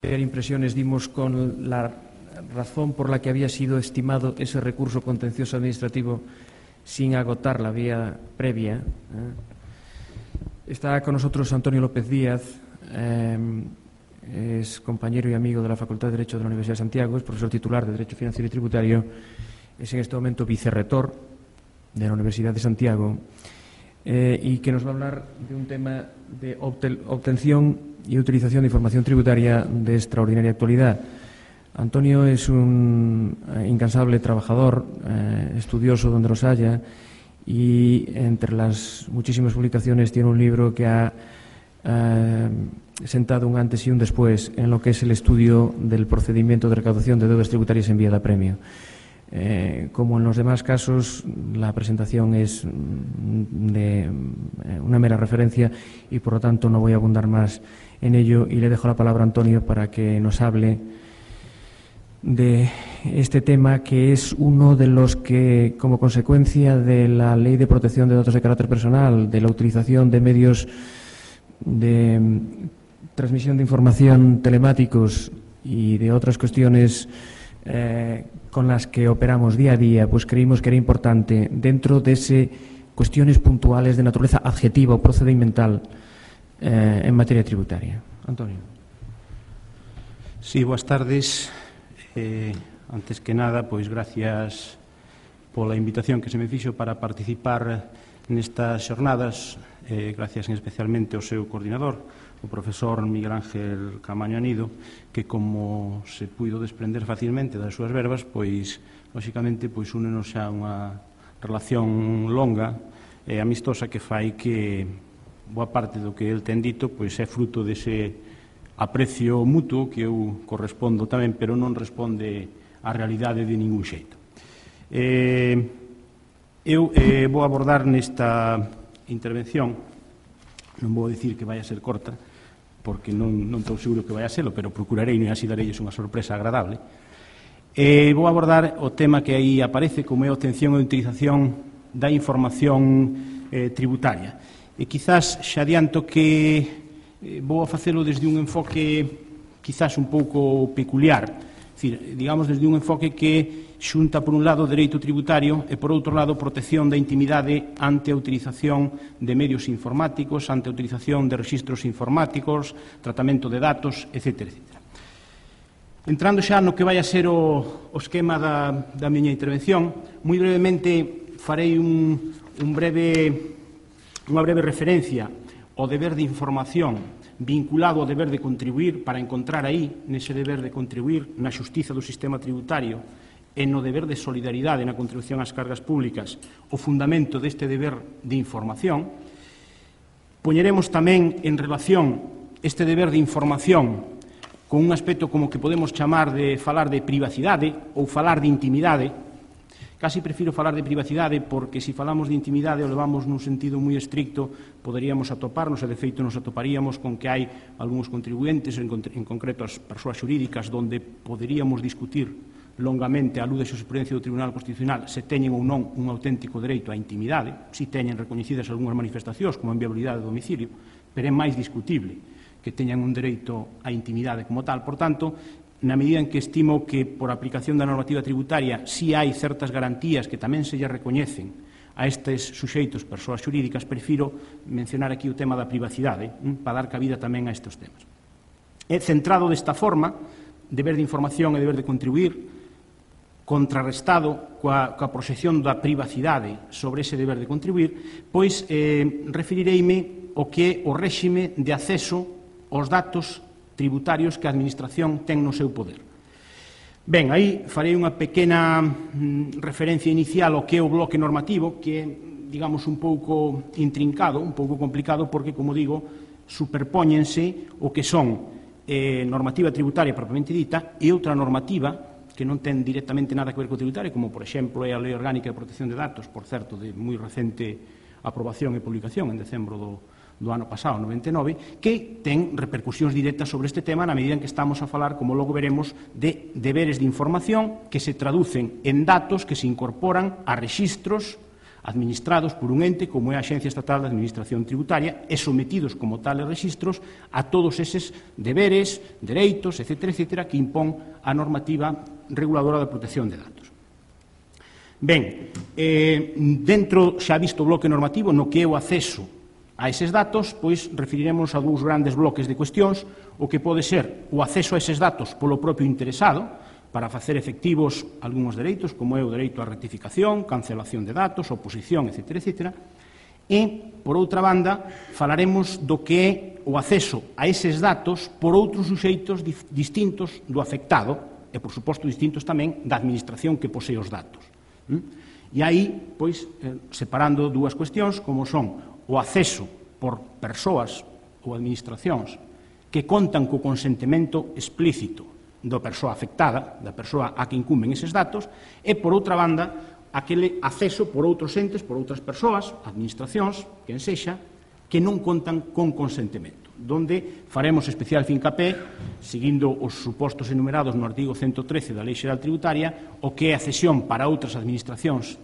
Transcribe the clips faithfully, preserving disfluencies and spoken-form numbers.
impresiones dimos con la razón por la que había sido estimado ese recurso contencioso administrativo sin agotar la vía previa. ¿eh? Está con nosotros Antonio López Díaz, eh, es compañero y amigo de la Facultad de Derecho de la Universidad de Santiago, es profesor titular de Derecho Financiero y Tributario, es en este momento vicerrector de la Universidad de Santiago eh, y que nos va a hablar de un tema de obtención y utilización de información tributaria de extraordinaria actualidad. Antonio es un incansable trabajador, eh, estudioso donde los haya, y entre las muchísimas publicaciones tiene un libro que ha eh, sentado un antes y un después en lo que es el estudio del procedimiento de recaudación de deudas tributarias en vía de apremio. Eh, como en los demás casos, la presentación es de una mera referencia y, por lo tanto, no voy a abundar más en ello y le dejo la palabra a Antonio para que nos hable de este tema, que es uno de los que, como consecuencia de la Ley de Protección de Datos de Carácter Personal, de la utilización de medios de transmisión de información telemáticos y de otras cuestiones eh, con las que operamos día a día, pues creímos que era importante, dentro de ese cuestiones puntuales de naturaleza adjetiva o procedimental eh, en materia tributaria. Antonio. Sí, boas tardes. Eh, antes que nada, pois gracias pola invitación que se me fixo para participar nestas xornadas, eh, gracias especialmente ao seu coordinador, o profesor Miguel Ángel Camaño Anido, que, como se puido desprender facilmente das súas verbas, pois, lóxicamente, pois únenos xa unha relación longa e amistosa que fai que boa parte do que el ten dito pois é fruto dese aprecio mutuo que eu correspondo tamén, pero non responde á realidade de ningún xeito. Eh, eu eh, vou abordar nesta intervención, non vou dicir que vai a ser corta, porque non, non estou seguro que vai a serlo, pero procurarei, e así darelles unha sorpresa agradable. Eh, vou abordar o tema que aí aparece, como é a obtención e utilización da información eh, tributaria. E quizás xa adianto que vou a facelo desde un enfoque quizás un pouco peculiar, decir, digamos desde un enfoque que xunta por un lado o dereito tributario e por outro lado protección da intimidade ante a utilización de medios informáticos, ante a utilización de rexistros informáticos, tratamento de datos, etcétera, etcétera. Entrando xa no que vai a ser o, o esquema da, da miña intervención, moi brevemente farei un, un breve, unha breve referencia o deber de información vinculado ao deber de contribuir para encontrar aí, nese deber de contribuir, na xustiza do sistema tributario e no deber de solidaridade na contribución ás cargas públicas, o fundamento deste deber de información. Poñeremos tamén en relación este deber de información con un aspecto como que podemos chamar de falar de privacidade ou falar de intimidade. Casi prefiro falar de privacidade porque, se falamos de intimidade o levamos nun sentido moi estricto, poderíamos atoparnos, e de feito nos atoparíamos con que hai algúns contribuentes, en, en concreto as persoas xurídicas, donde poderíamos discutir longamente a luz da xurisprudencia do Tribunal Constitucional se teñen ou non un auténtico dereito á intimidade, se teñen recoñecidas algunhas manifestacións como a inviabilidade do domicilio, pero é máis discutible que teñan un dereito á intimidade como tal. Por tanto, na medida en que estimo que por aplicación da normativa tributaria si hai certas garantías que tamén se lle recoñecen a estes suxeitos, persoas xurídicas, prefiro mencionar aquí o tema da privacidade, hm, para dar cabida tamén a estes temas. É centrado desta forma, deber de información e deber de contribuir, contrarrestado coa, coa proxección da privacidade sobre ese deber de contribuir, pois eh, referireime o que é o réxime de acceso aos datos tributarios que a Administración ten no seu poder. Ben, aí farei unha pequena mm, referencia inicial ao que é o bloque normativo, que é, digamos, un pouco intrincado, un pouco complicado, porque, como digo, superpóñense o que son eh, normativa tributaria propiamente dita e outra normativa que non ten directamente nada que ver co tributario, como, por exemplo, é a Lei Orgánica de Protección de Datos, por certo, de moi recente aprobación e publicación en decembro do do ano pasado, noventa e nove, que ten repercusións directas sobre este tema na medida en que estamos a falar, como logo veremos, de deberes de información que se traducen en datos que se incorporan a rexistros, administrados por un ente como é a Axencia Estatal de Administración Tributaria e sometidos como tales rexistros a todos eses deberes, dereitos, etcétera, etcétera, que impón a normativa reguladora da protección de datos. Ben, eh, dentro xa visto o bloque normativo no que é o acceso a eses datos, pois referiremos a dous grandes bloques de cuestións, o que pode ser o acceso a eses datos polo propio interesado, para facer efectivos algúns dereitos, como é o dereito á rectificación, cancelación de datos, oposición, etcétera, etcétera. E, por outra banda, falaremos do que é o acceso a eses datos por outros suxeitos distintos do afectado e, por suposto, distintos tamén da administración que posee os datos. E aí, pois, separando dúas cuestións, como son o acceso por persoas ou administracións que contan co consentimento explícito da persoa afectada, da persoa a que incumben eses datos, e, por outra banda, aquele acceso por outros entes, por outras persoas, administracións, quen sexa, que non contan con consentimento, donde faremos especial fincapé, seguindo os supostos enumerados no artigo ciento trece da Lei Xeral Tributaria, o que é a cesión para outras administracións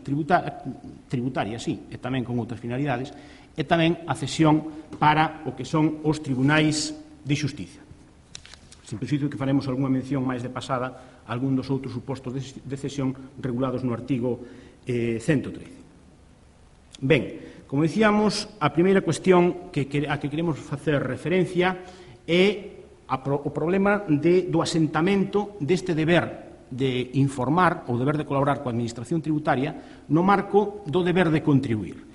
tributarias, sí, e tamén con outras finalidades, e tamén a cesión para o que son os tribunais de xustiza. Simplifico que faremos algunha mención máis de pasada a algún dos outros supostos de cesión regulados no artigo eh, ciento trece. Ben, como dicíamos, a primeira cuestión que, a que queremos facer referencia é a, o problema de, do asentamento deste deber de informar ou deber de colaborar coa administración tributaria no marco do deber de contribuir.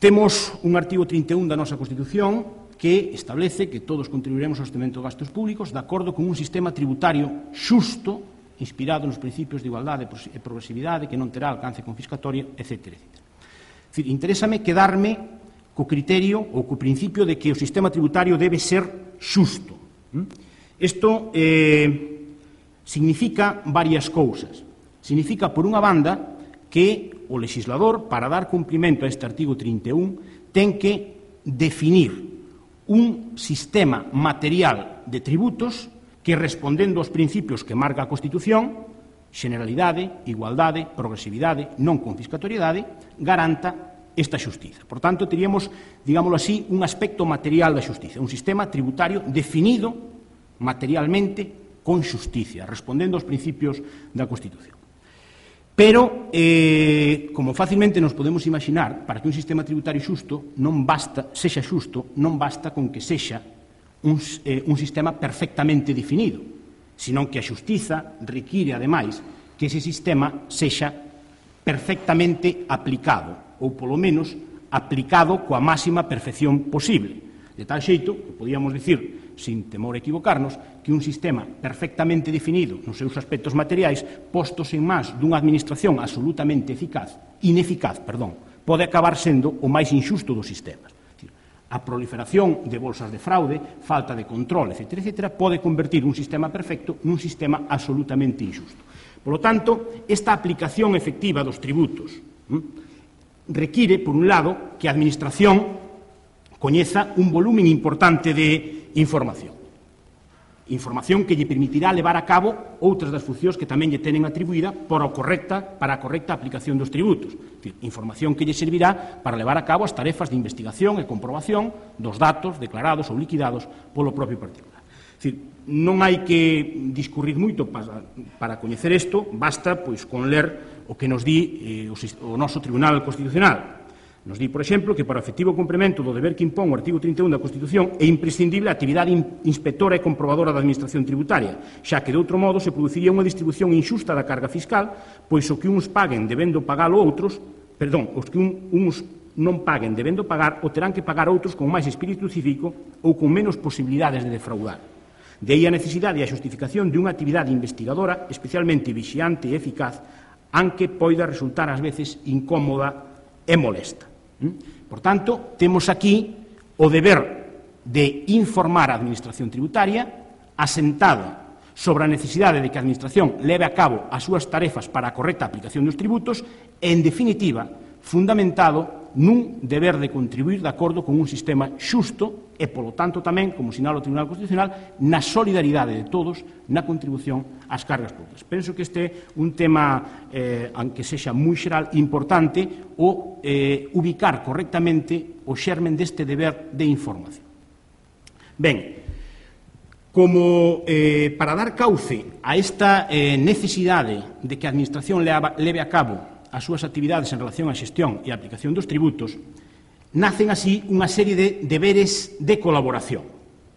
Temos un artigo trinta e un da nosa Constitución que establece que todos contribuiremos ao sostentamento de gastos públicos de acordo con un sistema tributario xusto, inspirado nos principios de igualdade e progresividade, que non terá alcance confiscatorio, etcétera, etcétera. É dicir, interésame quedarme co criterio ou co principio de que o sistema tributario debe ser xusto. Isto eh, significa varias cousas. Significa, por unha banda, que o legislador, para dar cumprimento a este artigo trinta e un, ten que definir un sistema material de tributos que, respondendo aos principios que marca a Constitución, generalidade, igualdade, progresividade, non confiscatoriedade, garanta esta xustiza. Por tanto, teríamos, digámoslo así, un aspecto material da xustiza, un sistema tributario definido materialmente con xusticia, respondendo aos principios da Constitución. Pero, eh, como facilmente nos podemos imaginar, para que un sistema tributario xusto non basta, sexa xusto, non basta con que sexa un, eh, un sistema perfectamente definido, senón que a xustiza require, ademais, que ese sistema sexa perfectamente aplicado, ou, polo menos, aplicado coa máxima perfección posible. De tal xeito, que podíamos dicir, sin temor a equivocarnos, que un sistema perfectamente definido nos seus aspectos materiais, postos en mans dunha administración absolutamente eficaz, ineficaz, perdón, pode acabar sendo o máis inxusto dos sistemas. A proliferación de bolsas de fraude, falta de control, etcétera, etcétera, pode convertir un sistema perfecto nun sistema absolutamente inxusto. Por lo tanto, esta aplicación efectiva dos tributos hm, require, por un lado, que a administración coñeza un volumen importante de información. Información que lle permitirá levar a cabo outras das funcións que tamén lle tenen atribuída para a correcta, para a correcta aplicación dos tributos. É dicir, información que lle servirá para levar a cabo as tarefas de investigación e comprobación dos datos declarados ou liquidados polo propio particular. É dicir, non hai que discurrir moito para, para coñecer isto, basta pois, con ler o que nos di eh, o, o noso Tribunal Constitucional. Nos di, por exemplo, que para o efectivo cumprimento do deber que impón o artigo trinta e un da Constitución é imprescindible a actividade inspectora e comprobadora da Administración Tributaria, xa que, de outro modo, se produciría unha distribución inxusta da carga fiscal, pois o que uns paguen debendo pagalo outros, perdón, os que un, uns non paguen debendo pagar o terán que pagar outros con máis espírito cívico ou con menos posibilidades de defraudar. De aí a necesidade e a xustificación de unha actividade investigadora especialmente vixiante e eficaz, aunque poida resultar ás veces incómoda e molesta. Por tanto, temos aquí o deber de informar a Administración Tributaria asentada sobre a necesidade de que a Administración leve a cabo as súas tarefas para a correcta aplicación dos tributos e, en definitiva, fundamentado nun deber de contribuir de acordo con un sistema xusto e, polo tanto, tamén, como sinala o Tribunal Constitucional, na solidaridade de todos na contribución ás cargas públicas. Penso que este é un tema, eh, aunque sexa moi xeral, importante o eh, ubicar correctamente o xermen deste deber de información. Ben, como eh, para dar cauce a esta eh, necesidade de que a Administración leve a cabo as súas actividades en relación á xestión e a aplicación dos tributos, nacen así unha serie de deberes de colaboración.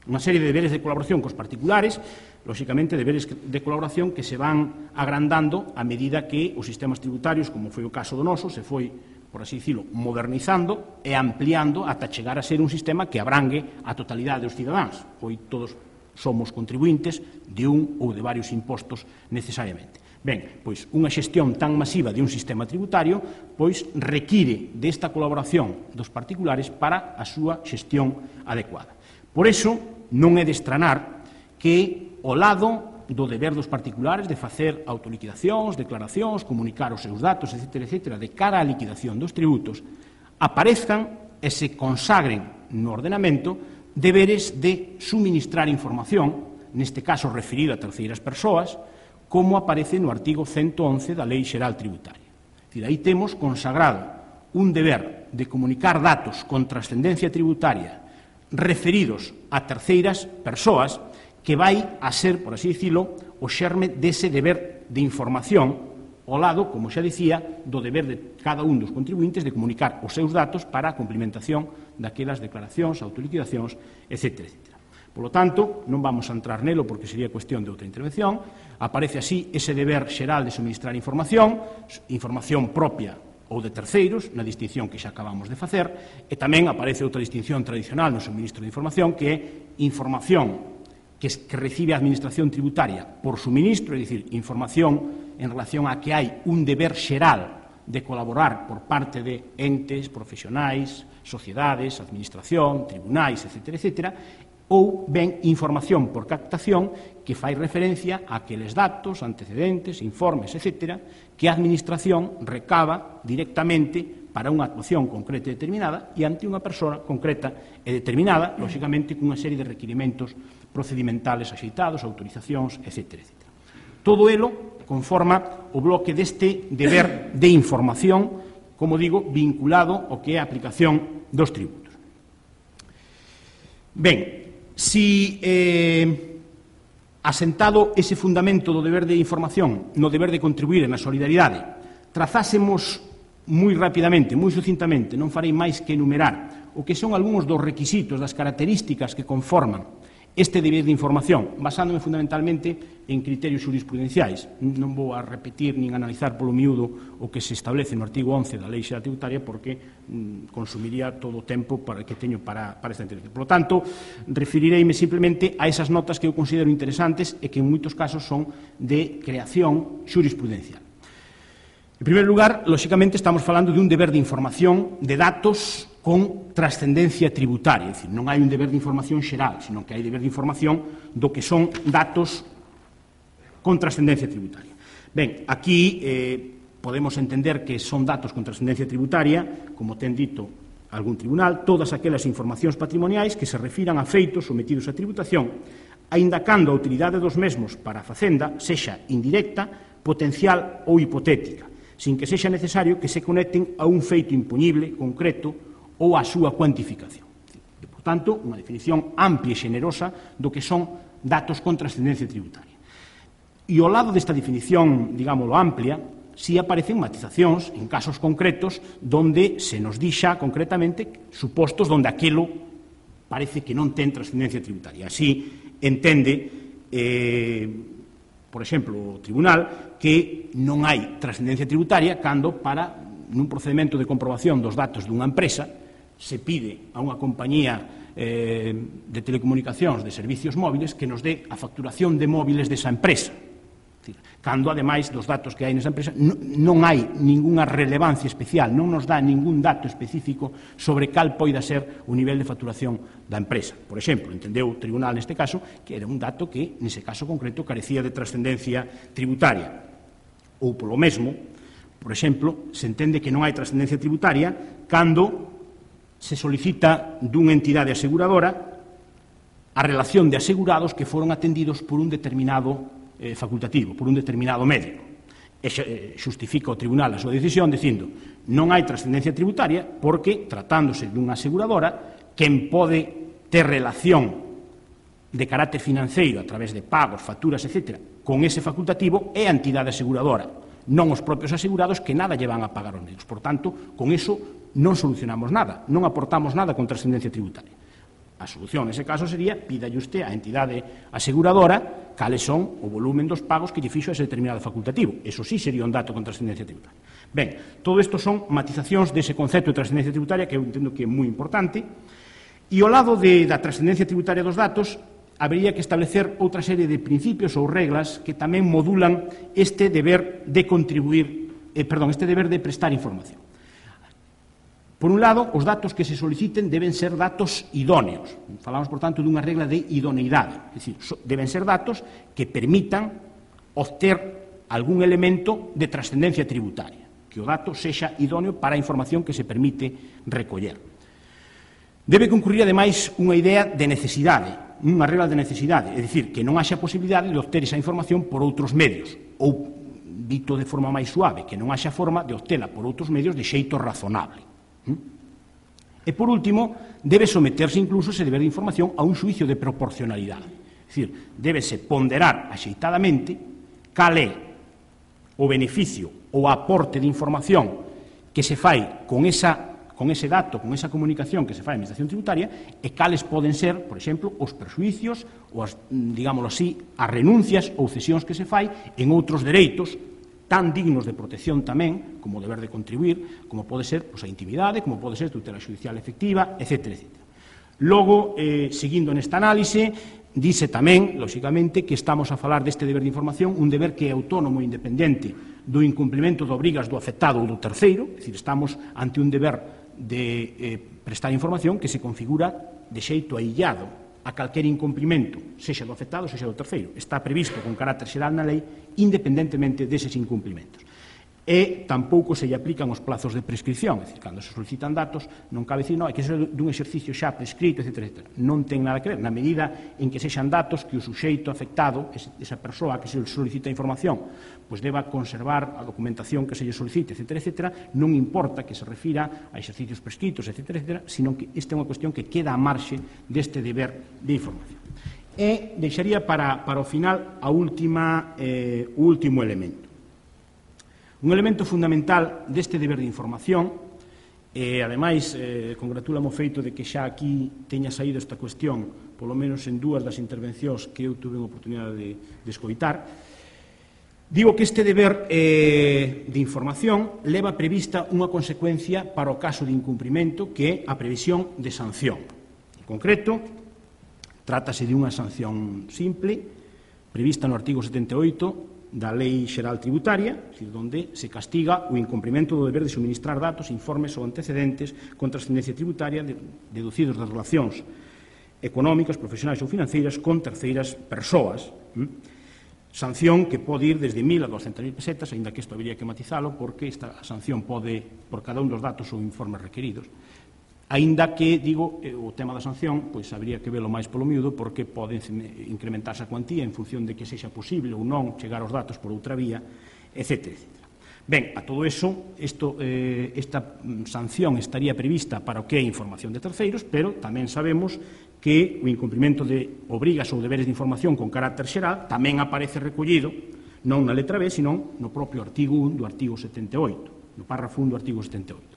Unha serie de deberes de colaboración cos particulares, lóxicamente deberes de colaboración que se van agrandando a medida que os sistemas tributarios, como foi o caso do noso, se foi, por así dicilo, modernizando e ampliando ata chegar a ser un sistema que abrangue a totalidade dos cidadáns. Hoy todos somos contribuintes de un ou de varios impostos necesariamente. Ben, pois unha xestión tan masiva de un sistema tributario pois require desta colaboración dos particulares para a súa xestión adecuada. Por iso, non é de estranar que ao lado do deber dos particulares de facer autoliquidacións, declaracións, comunicar os seus datos, etcétera, etcétera, de cara á liquidación dos tributos, aparezcan e se consagren no ordenamento deberes de suministrar información, neste caso referido a terceiras persoas, como aparece no artigo ciento once da Lei Xeral Tributaria. É dicir, aí temos consagrado un deber de comunicar datos con trascendencia tributaria referidos a terceiras persoas que vai a ser, por así dicilo, o xerme dese deber de información ao lado, como xa dicía, do deber de cada un dos contribuintes de comunicar os seus datos para a cumplimentación daquelas declaracións, autoliquidacións, etcétera, etcétera. Por lo tanto, non vamos a entrar nelo porque sería cuestión de outra intervención. Aparece así ese deber xeral de suministrar información, información propia ou de terceiros, na distinción que xa acabamos de facer, e tamén aparece outra distinción tradicional no suministro de información, que é información que, que recibe a Administración Tributaria por suministro, é dicir, información en relación a que hai un deber xeral de colaborar por parte de entes, profesionais, sociedades, administración, tribunais, etcétera, etcétera, ou ben información por captación que fai referencia a aqueles datos, antecedentes, informes, etcétera, que a Administración recaba directamente para unha actuación concreta e determinada e ante unha persoa concreta e determinada, lóxicamente, cunha serie de requirimentos procedimentales axeitados, autorizacións, etcétera, etcétera. Todo elo conforma o bloque deste deber de información, como digo, vinculado ao que é a aplicación dos tributos. Ben, si eh, asentado ese fundamento do deber de información no deber de contribuir na solidaridade, trazásemos moi rapidamente, moi sucintamente, non farei máis que enumerar o que son algúns dos requisitos, das características que conforman este deber de información, basándome fundamentalmente en criterios jurisprudenciais. Non vou a repetir nin analizar polo miúdo o que se establece no artigo once da Lei Xeral Tributaria porque mm, consumiría todo o tempo para que teño para, para esta entrevista. Por lo tanto, referireime simplemente a esas notas que eu considero interesantes e que en moitos casos son de creación jurisprudencial. En primeiro lugar, lóxicamente, estamos falando de un deber de información de datos con trascendencia tributaria, é dicir, non hai un deber de información xeral, sino que hai deber de información do que son datos con trascendencia tributaria. Ben, aquí eh, podemos entender que son datos con trascendencia tributaria, como ten dito algún tribunal, todas aquelas informacións patrimoniais que se refiran a feitos sometidos a tributación, aínda cando a utilidade dos mesmos para a Facenda sexa indirecta, potencial ou hipotética, sin que sexa necesario que se conecten a un feito imponible, concreto, ou a súa cuantificación. E, por tanto, unha definición amplia e xenerosa do que son datos con trascendencia tributaria. E ao lado desta definición, digámoslo, amplia, si aparecen matizacións en casos concretos donde se nos dixa concretamente supostos donde aquilo parece que non ten trascendencia tributaria. Así entende, eh, por exemplo, o tribunal que non hai trascendencia tributaria cando para nun procedimento de comprobación dos datos dunha empresa se pide a unha compañía eh, de telecomunicacións de servicios móviles que nos dé a facturación de móviles desa empresa. Cando, ademais, dos datos que hai nesa empresa non hai ningunha relevancia especial, non nos dá ningún dato específico sobre cal poida ser o nivel de facturación da empresa. Por exemplo, entendeu o tribunal neste caso que era un dato que, nese caso concreto, carecía de trascendencia tributaria. Ou, polo mesmo, Por exemplo, se entende que non hai trascendencia tributaria cando se solicita dunha entidade aseguradora a relación de asegurados que foron atendidos por un determinado eh, facultativo, por un determinado médico. E xustifica o tribunal a súa decisión dicindo non hai trascendencia tributaria porque, tratándose dunha aseguradora, quen pode ter relación de carácter financeiro a través de pagos, facturas, etcétera, con ese facultativo é a entidade aseguradora, non os propios asegurados que nada lle van a pagar aos médicos. Por tanto, con iso non solucionamos nada, non aportamos nada con trascendencia tributaria. A solución nese caso sería pídalle usted á entidade aseguradora cales son o volumen dos pagos que lle fixo ese determinado facultativo. Eso sí sería un dato con trascendencia tributaria. Ben, todo isto son matizacións dese concepto de trascendencia tributaria que eu entendo que é moi importante. E ao lado de, da trascendencia tributaria dos datos, habería que establecer outra serie de principios ou reglas que tamén modulan este deber de contribuir, eh, perdón, este deber de prestar información. Por un lado, os datos que se soliciten deben ser datos idóneos. Falamos, por tanto, dunha regla de idoneidade. É dicir, deben ser datos que permitan obter algún elemento de trascendencia tributaria, que o dato sexa idóneo para a información que se permite recoller. Debe concurrir, ademais, unha idea de necesidade, unha regla de necesidade, é dicir, que non haxa posibilidade de obter esa información por outros medios, ou, dito de forma máis suave, que non haxa forma de obtela por outros medios de xeito razonable. E, por último, debe someterse incluso ese deber de información a un xuicio de proporcionalidade. É dicir, débese ponderar axeitadamente cal é o beneficio ou aporte de información que se fai con, esa, con ese dato, con esa comunicación que se fai a Administración Tributaria e cales poden ser, por exemplo, os perxuicios ou, as, digámoslo así, as renuncias ou cesións que se fai en outros dereitos tan dignos de protección tamén, como o deber de contribuir, como pode ser pois, a intimidade, como pode ser a tutela xudicial efectiva, etcétera, etcétera. Logo, eh, seguindo nesta análise, dice tamén, lóxicamente, que estamos a falar deste deber de información, un deber que é autónomo e independente do incumprimento de obrigas do afectado ou do terceiro, é dicir, estamos ante un deber de eh, prestar información que se configura de xeito aillado a calquer incumprimento, sexa do afectado, sexa do terceiro. Está previsto con carácter xeral na lei, independentemente deses incumprimentos. E tampouco se lle aplican os plazos de prescripción, é dicir, cando se solicitan datos, non cabe dicir, non, hai que ser dun exercicio xa prescrito, etcétera, etcétera. Non ten nada que ver, na medida en que sexan datos que o suxeito afectado, esa persoa que se solicita a información, pois deba conservar a documentación que se lle solicite, etcétera, etcétera, non importa que se refira a exercicios prescritos, etcétera, etcétera, sino que esta é unha cuestión que queda a marxe deste deber de información. E deixaría para, para o final a última, eh, o último elemento. Un elemento fundamental deste deber de información, e, ademais, eh, congratulamo o feito de que xa aquí teña saído esta cuestión, polo menos en dúas das intervencións que eu tuve a oportunidade de, de escoitar, digo que este deber eh, de información leva prevista unha consecuencia para o caso de incumprimento que é a previsión de sanción. En concreto, trátase de unha sanción simple, prevista no artigo setenta e oito da Lei Xeral Tributaria, onde se castiga o incumprimento do deber de suministrar datos, informes ou antecedentes con trascendencia tributaria deducidos das relacións económicas, profesionais ou financeiras con terceiras persoas. Sanción que pode ir desde mil a doscientas mil pesetas, aínda que isto habría que matizalo, porque esta sanción pode, por cada un dos datos ou informes requeridos, aínda que, digo, o tema da sanción, pois habría que velo máis polo miúdo, porque pode incrementarse a cuantía en función de que sexa posible ou non chegar aos datos por outra vía, etcétera, etcétera. Ben, a todo eso, isto, eh, esta sanción estaría prevista para o que é información de terceiros, pero tamén sabemos que o incumprimento de obrigas ou deberes de información con carácter xeral tamén aparece recollido non na letra B, senón no propio artigo un do artigo setenta e oito, no párrafo un do artigo setenta e oito.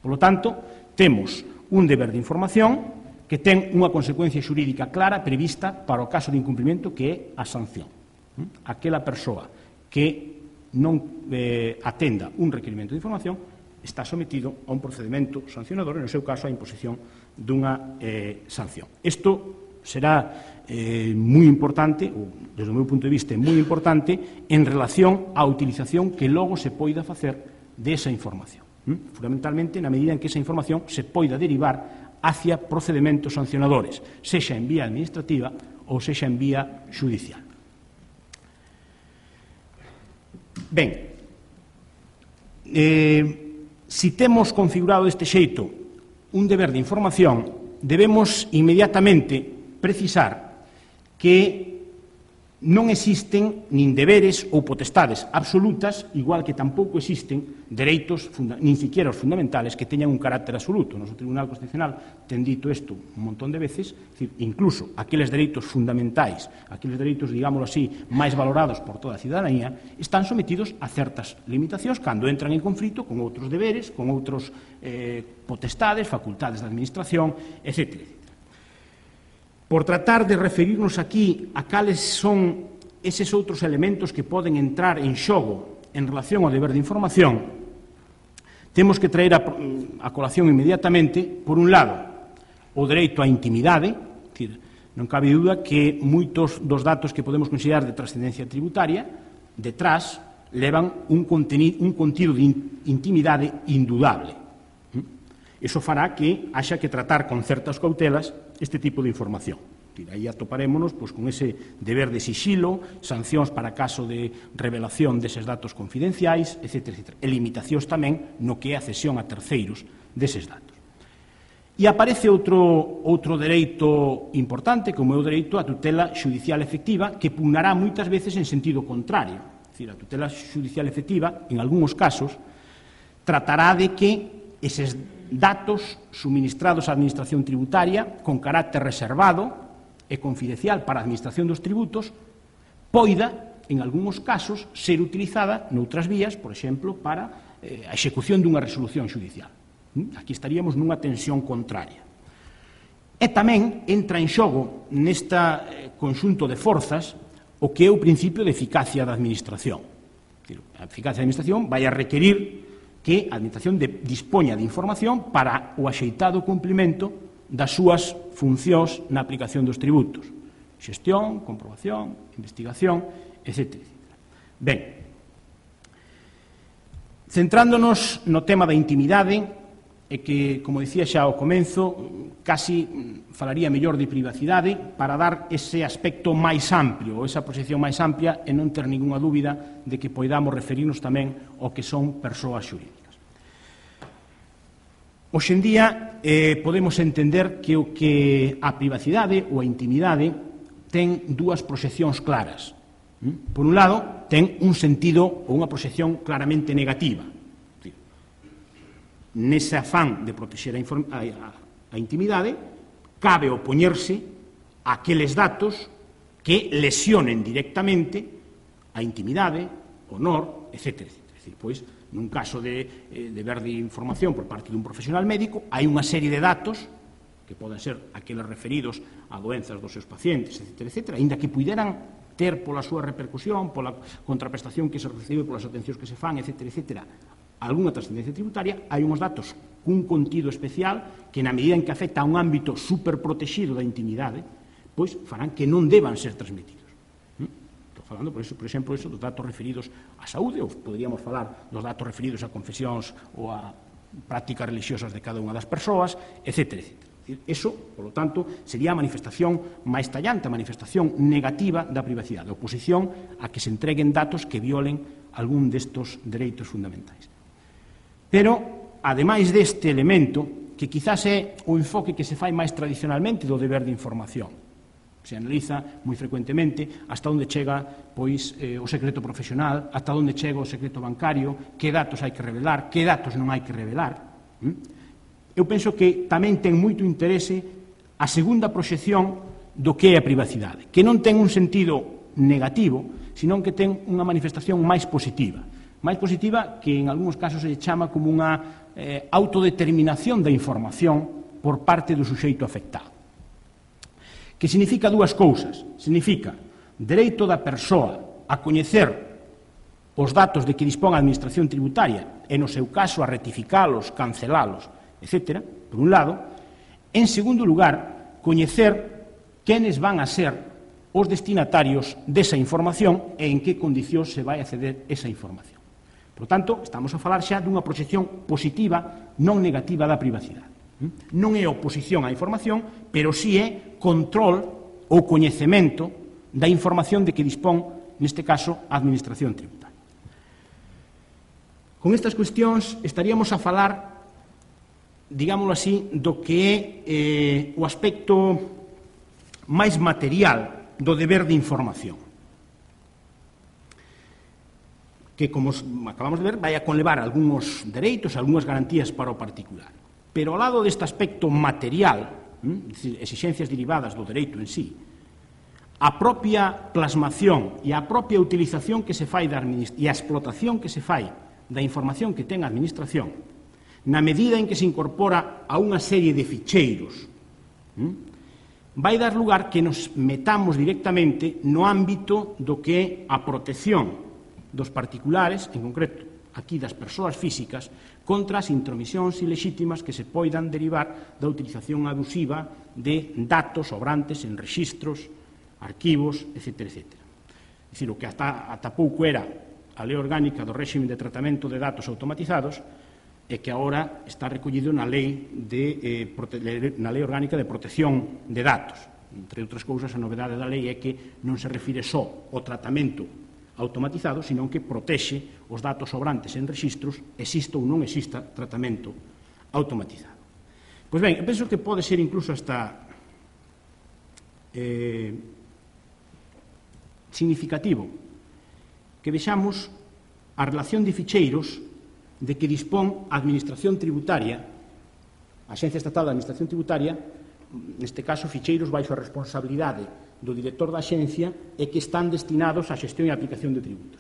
Por lo tanto, temos un deber de información que ten unha consecuencia xurídica clara prevista para o caso de incumprimento que é a sanción. Aquela persoa que non eh, atenda un requerimento de información está sometido a un procedimento sancionador, e no seu caso a imposición dunha eh, sanción. Isto será eh, moi importante, ou desde o meu punto de vista moi importante, en relación á utilización que logo se poida facer desa información. Fundamentalmente na medida en que esa información se poida derivar hacia procedimentos sancionadores, sexa en vía administrativa ou sexa en vía xudicial. Ben, eh, si temos configurado deste xeito un deber de información, debemos inmediatamente precisar que non existen nin deberes ou potestades absolutas, igual que tampouco existen dereitos, nin siquiera os fundamentales, que teñan un carácter absoluto. O noso Tribunal Constitucional ten dito isto un montón de veces, decir, incluso aqueles dereitos fundamentais, aqueles dereitos, digámoslo así, máis valorados por toda a cidadanía, están sometidos a certas limitacións cando entran en conflito con outros deberes, con outros eh, potestades, facultades de administración, etcétera. Por tratar de referirnos aquí a cales son eses outros elementos que poden entrar en xogo en relación ao deber de información, temos que traer a, a colación inmediatamente, por un lado, o dereito á intimidade, decir, non cabe dúda que moitos dos datos que podemos considerar de trascendencia tributaria, detrás, levan un, contenido, un contido de intimidade indudable. Iso fará que haxa que tratar con certas cautelas este tipo de información. Aí atoparémonos pois, con ese deber de sixilo, sancións para caso de revelación deses datos confidenciais, etcétera, etcétera. E limitacións tamén no que é a cesión a terceiros deses datos. E aparece outro, outro dereito importante, como é o dereito á tutela xudicial efectiva, que pugnará moitas veces en sentido contrario. É dicir, a tutela xudicial efectiva, en algúns casos, tratará de que eses datos suministrados á Administración tributaria con carácter reservado e confidencial para a Administración dos tributos poida, en algúns casos, ser utilizada noutras vías, por exemplo, para eh, a execución dunha resolución xudicial. Aquí estaríamos nunha tensión contraria. E tamén entra en xogo neste eh, conxunto de forzas o que é o principio de eficacia da Administración. A eficacia da Administración vai a requerir que a Administración de, dispoña de información para o axeitado cumplimento das súas funcións na aplicación dos tributos. Xestión, comprobación, investigación, etcétera. Ben, centrándonos no tema da intimidade, e que, como dicía xa ao comenzo, casi falaría mellor de privacidade para dar ese aspecto máis amplio, ou esa posición máis amplia, e non ter ninguna dúbida de que poidamos referirnos tamén ao que son persoas xurídicas. Hoxe en día eh, podemos entender que o que a privacidade ou a intimidade ten dúas proxeccións claras. Por un lado, ten un sentido ou unha proxección claramente negativa. Nese afán de protexer a, a, a intimidade, cabe opoñerse a aqueles datos que lesionen directamente a intimidade, honor, etcétera, etcétera. Es decir, pois, nun caso de eh, deber de información por parte dun profesional médico, hai unha serie de datos que poden ser aqueles referidos a doenzas dos seus pacientes, etcétera, etcétera, aínda que puderan ter pola súa repercusión, pola contraprestación que se recibe, polas atencións que se fan, etcétera, etcétera, algunha trascendencia tributaria, hai unhos datos cun contido especial que, na medida en que afecta a un ámbito superprotegido da intimidade, pois farán que non deban ser transmitidos. Estou falando, por, eso, por exemplo, eso, dos datos referidos á saúde, ou poderíamos falar dos datos referidos a confesións ou a prácticas religiosas de cada unha das persoas, etcétera, etcétera. Eso, por lo tanto, sería a manifestación máis tallante, a manifestación negativa da privacidade, a oposición a que se entreguen datos que violen algún destos dereitos fundamentais. Pero, ademais deste elemento, que quizás é o enfoque que se fai máis tradicionalmente do deber de información, se analiza moi frecuentemente hasta onde chega pois, eh, o secreto profesional, hasta onde chega o secreto bancario, que datos hai que revelar, que datos non hai que revelar. Eu penso que tamén ten moito interese a segunda proxección do que é a privacidade, que non ten un sentido negativo, senón que ten unha manifestación máis positiva. Máis positiva que en algúns casos se chama como unha eh, autodeterminación da información por parte do suxeito afectado. Que significa dúas cousas. Significa dereito da persoa a coñecer os datos de que dispón a Administración tributaria e, no seu caso, a rectificalos, cancelalos, etcétera, por un lado. En segundo lugar, coñecer quenes van a ser os destinatarios desa información e en que condicións se vai acceder esa información. Por tanto, estamos a falar xa dunha proxección positiva, non negativa da privacidade. Non é oposición á información, pero si é control ou coñecemento da información de que dispón, neste caso, a Administración tributaria. Con estas cuestións estaríamos a falar, digámoslo así, do que é eh, o aspecto máis material do deber de información, que, como acabamos de ver, vai a conlevar algúns dereitos, algunhas garantías para o particular. Pero ao lado deste aspecto material, hm, exixencias derivadas do dereito en sí, a propia plasmación e a propia utilización que se fai da e a explotación que se fai da información que ten a Administración, na medida en que se incorpora a unha serie de ficheiros, hm, vai dar lugar que nos metamos directamente no ámbito do que é a protección dos particulares, en concreto aquí das persoas físicas, contra as intromisións ilexítimas que se poidan derivar da utilización abusiva de datos sobrantes en rexistros, arquivos, etcétera, etcétera. É dicir, o que ata, ata pouco era a Lei Orgánica do Réxime de Tratamento de Datos Automatizados e que agora está recollido na Lei, de, eh, na Lei Orgánica de Protección de Datos. Entre outras cousas, a novedade da lei é que non se refire só ao tratamento automatizado, senón que protexe os datos sobrantes en rexistros, exista ou non exista tratamento automatizado. Pois ben, eu penso que pode ser incluso hasta eh, significativo que vexamos a relación de ficheiros de que dispón a Administración Tributaria, a Axencia Estatal de Administración Tributaria, neste caso ficheiros baixo a responsabilidade do director da Axencia e que están destinados á xestión e aplicación de tributos.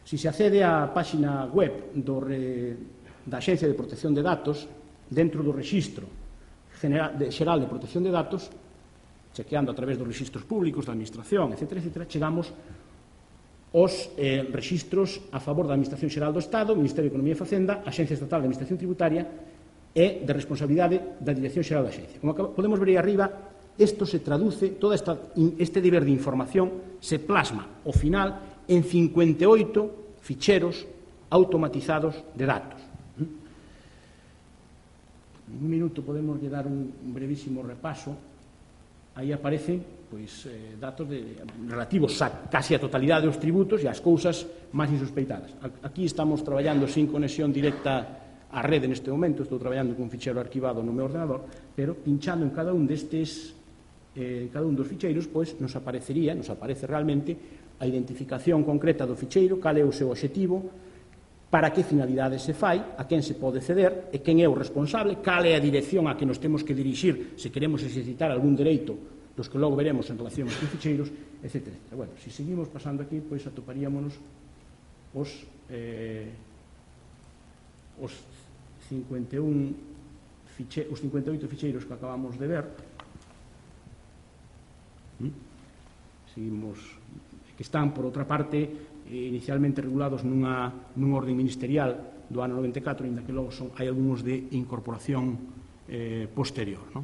Se se accede á páxina web do re, da Axencia de Protección de Datos, dentro do Rexistro General de, Xeral de Protección de Datos, chequeando a través dos rexistros públicos da Administración, etcétera, etcétera, chegamos os eh, rexistros a favor da Administración Xeral do Estado, Ministerio de Economía e Facenda, Axencia Estatal de Administración Tributaria e de responsabilidade da Dirección Xeral da Axencia. Como podemos ver aí arriba, isto se traduce, todo esta, este deber de información se plasma ao final en cincuenta e oito ficheros automatizados de datos. En un minuto podemos dar un brevísimo repaso. Aí aparecen pois, eh, datos de, relativos a casi a totalidade dos tributos e as cousas máis insospeitadas. Aquí estamos traballando sin conexión directa á rede neste momento, estou traballando con un ficheiro arquivado no meu ordenador, pero pinchando en cada un destes, eh, cada un dos ficheiros, pois nos aparecería, nos aparece realmente a identificación concreta do ficheiro, cal é o seu obxectivo, para que finalidade se fai, a quen se pode ceder e quen é o responsable, cal é a dirección a que nos temos que dirixir se queremos exercitar algún dereito dos que logo veremos en relación aos ficheiros, etcétera, etcétera. Bueno, se seguimos pasando aquí, pois atoparíamos os, eh, os cincuenta e un fiche, os cincuenta e oito ficheiros que acabamos de ver. ¿Mm? Seguimos, que están, por outra parte, inicialmente regulados nunha, nun orden ministerial do ano noventa e catro, ainda que logo son, hai algúns de incorporación eh, posterior, non?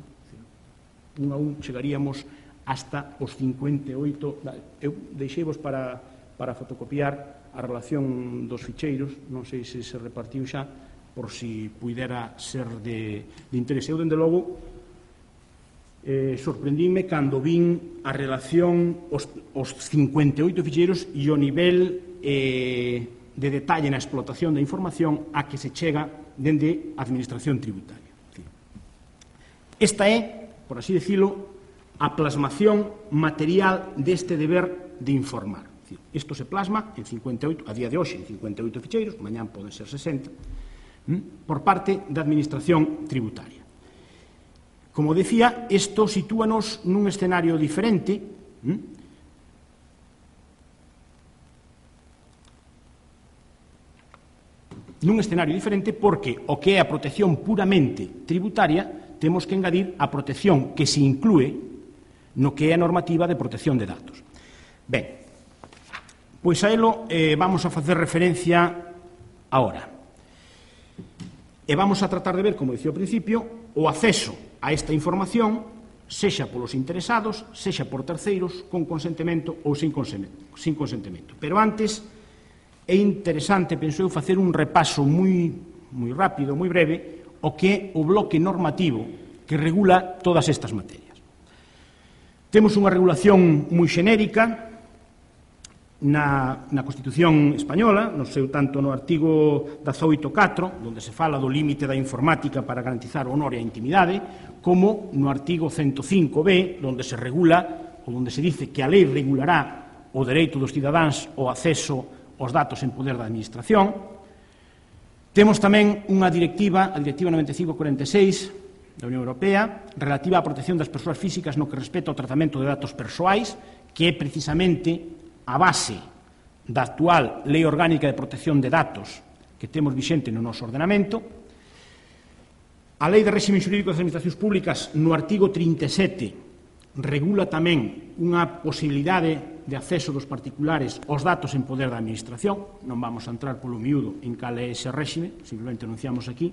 Un a un chegaríamos hasta os cincuenta e oito. Eu deixeivos para, para fotocopiar a relación dos ficheiros, non sei se se repartiu xa, por si puidera ser de, de interese. Eu, dende logo, eh, sorprendíme cando vin a relación, os, os cincuenta e oito ficheiros e o nivel eh, de detalle na explotación da información a que se chega dende a Administración Tributaria. Esta é, por así decirlo, a plasmación material deste deber de informar. Isto se plasma en cincuenta e oito, a día de hoxe en cincuenta e oito ficheiros, mañán poden ser sesenta, por parte da Administración Tributaria. Como decía, isto sitúanos nun escenario diferente, nun escenario diferente porque o que é a protección puramente tributaria temos que engadir a protección que se inclúe no que é a normativa de protección de datos. Ben, pois a elo eh, vamos a facer referencia agora. E vamos a tratar de ver, como dicía ao principio, o acceso a esta información, sexa polos interesados, sexa por terceiros, con consentimento ou sin consentimento. Pero antes, é interesante, penso eu, facer un repaso moi, moi rápido, moi breve, o que é o bloque normativo que regula todas estas materias. Temos unha regulación moi xenérica na, na Constitución Española, no seu tanto no artigo dezaoito punto catro, onde se fala do límite da informática para garantizar o honor e a intimidade, como no artigo ciento cinco B, onde se regula, ou onde se dice que a lei regulará o dereito dos cidadáns ao acceso aos datos en poder da administración. Temos tamén unha directiva, a Directiva noventa e cinco cuarenta e seis da Unión Europea, relativa á protección das persoas físicas no que respecta ao tratamento de datos persoais, que é precisamente a base da actual Lei Orgánica de Protección de Datos que temos vixente no noso ordenamento. A Lei de Réxime Xurídico das Administracións Públicas, no artigo trinta e sete, regula tamén unha posibilidade de acceso dos particulares aos datos en poder da Administración. Non vamos a entrar polo miúdo en cal é ese réxime, simplemente anunciamos aquí.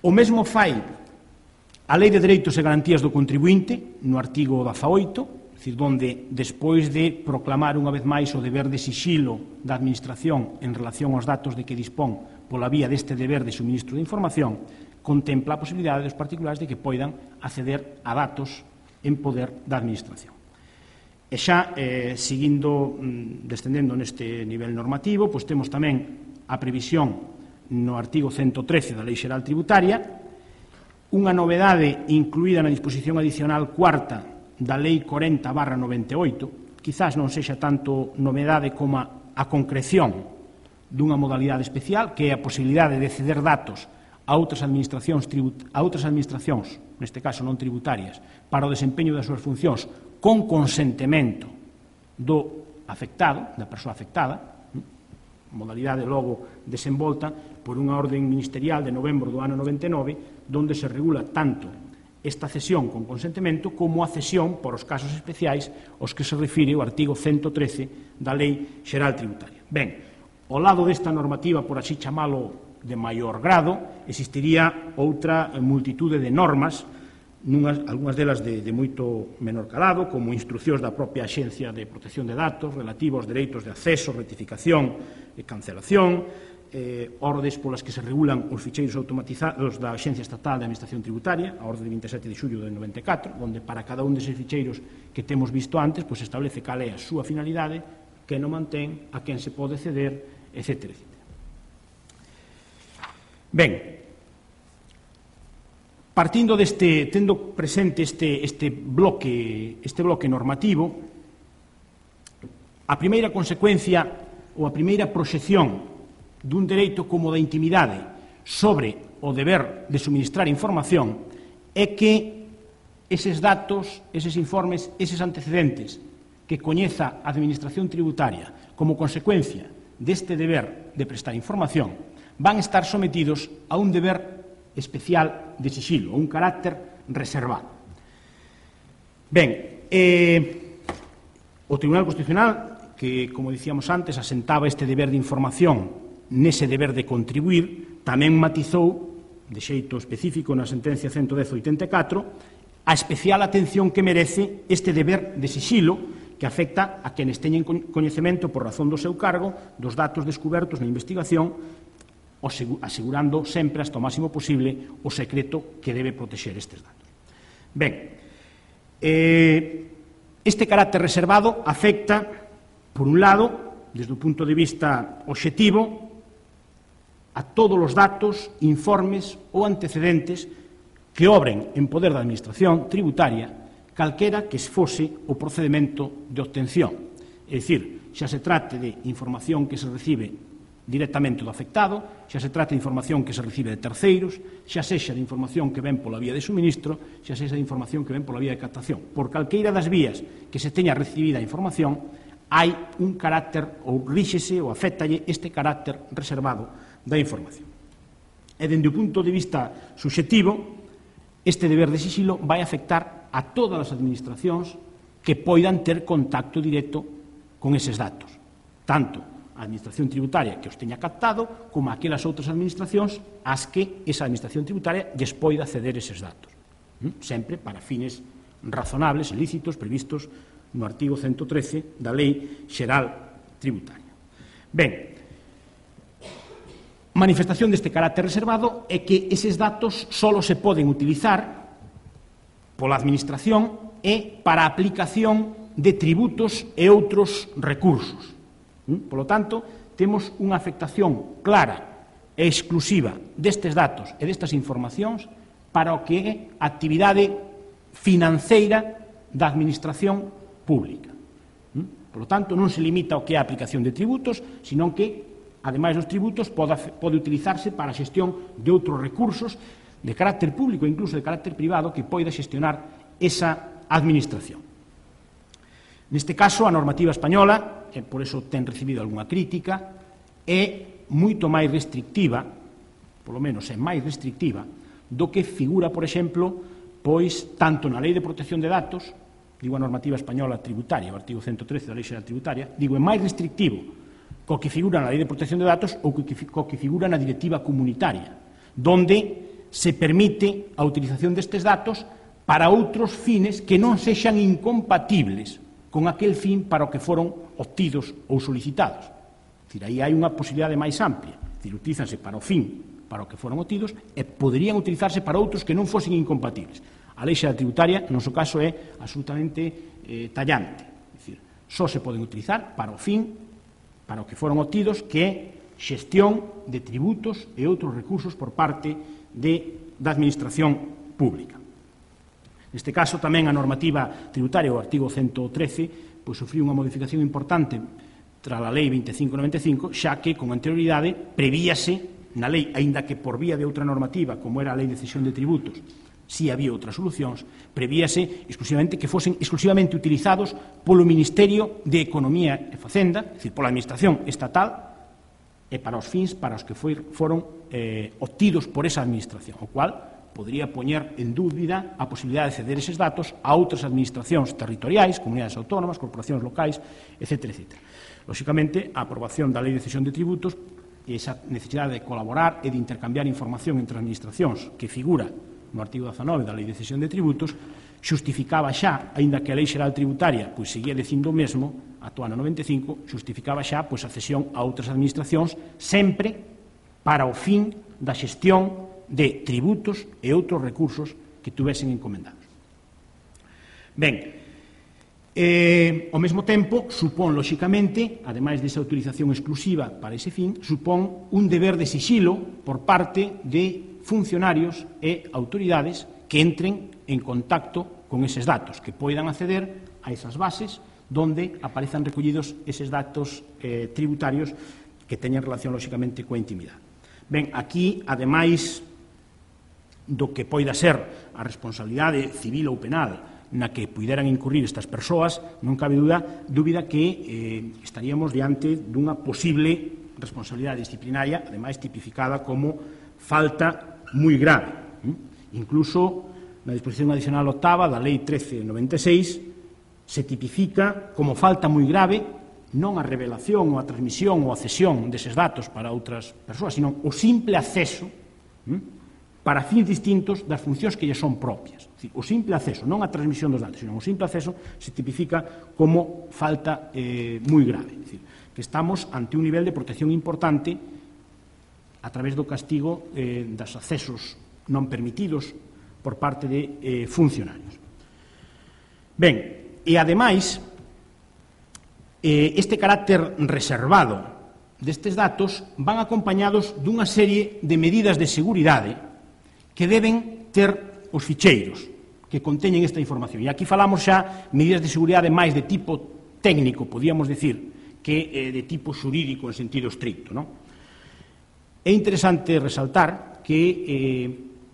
O mesmo fai a Lei de Dereitos e Garantías do Contribuinte, no artigo dezaoito, é dicir, donde, despois de proclamar unha vez máis o deber de sixilo da Administración en relación aos datos de que dispón pola vía deste deber de suministro de información, contempla a posibilidade dos particulares de que poidan acceder a datos en poder da Administración. E xa, eh, seguindo, descendendo neste nivel normativo, pois temos tamén a previsión no artigo ciento trece da Lei Xeral Tributaria, unha novedade incluída na disposición adicional cuarta da Lei corenta barra noventa e oito, quizás non sexa tanto novedade como a concreción dunha modalidade especial, que é a posibilidade de ceder datos a outras administracións, a outras administracións, neste caso non tributarias, para o desempeño das súas funcións con consentemento do afectado, da persoa afectada, modalidade logo desenvolta por unha orden ministerial de novembro do ano noventa e nove, donde se regula tanto esta cesión con consentimento como a cesión por os casos especiais aos que se refire o artigo ciento trece da Lei Xeral Tributaria. Ben, ao lado desta normativa, por así chamalo de maior grado, existiría outra multitude de normas, nunhas, algunhas delas de, de moito menor calado, como instruccións da propia Axencia de Protección de Datos relativa aos dereitos de acceso, rectificación e cancelación, eh, ordes polas que se regulan os ficheiros automatizados da Axencia Estatal de Administración Tributaria, a orde de vinte e sete de xullo de noventa e catro, onde para cada un deses ficheiros que temos visto antes, pois establece cal é a súa finalidade, que non mantén, a quen se pode ceder, etcétera, etcétera. Ben, partindo deste, tendo presente este, este bloque, este bloque normativo, a primeira consecuencia ou a primeira proxección dun dereito como da intimidade sobre o deber de suministrar información é que eses datos, eses informes, eses antecedentes que coñeza a Administración Tributaria como consecuencia deste deber de prestar información van estar sometidos a un deber especial de sixilo, un carácter reservado. Ben, eh, o Tribunal Constitucional, que, como dicíamos antes, asentaba este deber de información nese deber de contribuir, tamén matizou, de xeito específico na sentencia ciento dez barra oitenta e catro, a especial atención que merece este deber de sixilo que afecta a quenes teñen coñecemento por razón do seu cargo dos datos descubertos na investigación, asegurando sempre hasta o máximo posible o secreto que debe protexer estes datos. Ben, eh, este carácter reservado afecta, por un lado, desde o punto de vista obxectivo, a todos os datos, informes ou antecedentes que obren en poder da Administración Tributaria calquera que fose o procedimento de obtención. É dicir, xa se trate de información que se recibe directamente do afectado, xa se trate de información que se recibe de terceiros, xa sexa de información que ven pola vía de suministro, xa sexa de información que ven pola vía de captación. Por calqueira das vías que se teña recibida a información, hai un carácter, ou ríxese ou afectalle este carácter reservado da información. E, dende o punto de vista subxectivo, este deber de sixilo vai afectar a todas as administracións que poidan ter contacto directo con eses datos, tanto a Administración Tributaria que os teña captado, como aquelas outras administracións ás que esa Administración Tributaria lles poida ceder eses datos, sempre para fines razonables e lícitos previstos no artigo ciento trece da Lei Xeral Tributaria. Ben, manifestación deste carácter reservado é que eses datos só se poden utilizar pola Administración e para a aplicación de tributos e outros recursos. Por lo tanto, temos unha afectación clara e exclusiva destes datos e destas informacións para o que é a actividade financeira da administración pública. Por lo tanto, non se limita ao que é a aplicación de tributos, senón que, ademais dos tributos, pode, pode utilizarse para a xestión de outros recursos de carácter público e incluso de carácter privado que poida xestionar esa administración. Neste caso, a normativa española, e por eso ten recibido algunha crítica, é moito máis restrictiva, polo menos é máis restrictiva, do que figura, por exemplo, pois tanto na Lei de Protección de Datos, digo a normativa española tributaria, o artigo ciento trece da Lei Xeral Tributaria, digo é máis restrictivo co que figura na Lei de Protección de Datos ou co que figura na Directiva Comunitaria, donde se permite a utilización destes datos para outros fines que non sexan incompatibles con aquel fin para o que foron obtidos ou solicitados. É dicir, aí hai unha posibilidade máis amplia. É dicir, utilízanse para o fin para o que foron obtidos e poderían utilizarse para outros que non fosen incompatibles. A Lei Xeral Tributaria, no seu caso, é absolutamente eh, tallante. É dicir, só se poden utilizar para o fin para o que foron obtidos, que é xestión de tributos e outros recursos por parte de, da Administración Pública. Neste caso, tamén a normativa tributaria, o artigo ciento trece, pois sufriu unha modificación importante tras a Lei veinticinco noventa e cinco, xa que, con anterioridade, prevíase na lei, aínda que por vía de outra normativa, como era a Lei de Cesión de Tributos, si había outras solucións, prevíase exclusivamente que fosen exclusivamente utilizados polo Ministerio de Economía e Facenda, é dicir, pola Administración Estatal, e para os fins para os que foi, foron eh, obtidos por esa Administración, o cual podría poñer en dúbida a posibilidade de ceder eses datos a outras administracións territoriais, comunidades autónomas, corporacións locais, etcétera, etcétera. Lóxicamente, a aprobación da Lei de Cesión de Tributos e esa necesidade de colaborar e de intercambiar información entre administracións que figura no artigo dezanove da Lei de Cesión de Tributos xustificaba xa, aínda que a Lei Xeral Tributaria pois seguía dicindo o mesmo, actual no noventa e cinco, xustificaba xa pois a cesión a outras administracións sempre para o fin da xestión de tributos e outros recursos que tuvesen encomendados. Ben, eh, ao mesmo tempo, supón, lóxicamente, ademais desa autorización exclusiva para ese fin, supón un deber de sixilo por parte de funcionarios e autoridades que entren en contacto con eses datos, que poidan acceder a esas bases donde aparezan recollidos eses datos eh, tributarios que teñen relación, lóxicamente, coa intimidade. Ben, aquí, ademais do que poida ser a responsabilidade civil ou penal na que puideran incurrir estas persoas, non cabe dúbida, dúbida que eh, estaríamos diante dunha posible responsabilidade disciplinaria, ademais tipificada como falta moi grave. Incluso na disposición adicional octava da Lei trece noventa e seis se tipifica como falta moi grave non a revelación ou a transmisión ou a cesión deses datos para outras persoas, sino o simple acceso para fins distintos das funcións que lle son propias. O simple acceso, non a transmisión dos datos, sino o simple acceso se tipifica como falta eh, moi grave. É dicir, que estamos ante un nivel de protección importante a través do castigo eh, das accesos non permitidos por parte de eh, funcionarios. Ben, e ademais, eh, este carácter reservado destes datos van acompañados dunha serie de medidas de seguridade que deben ter os ficheiros que conteñen esta información. E aquí falamos xa medidas de seguridade máis de tipo técnico, podíamos decir, que eh, de tipo xurídico en sentido estricto. Non? É interesante resaltar que eh,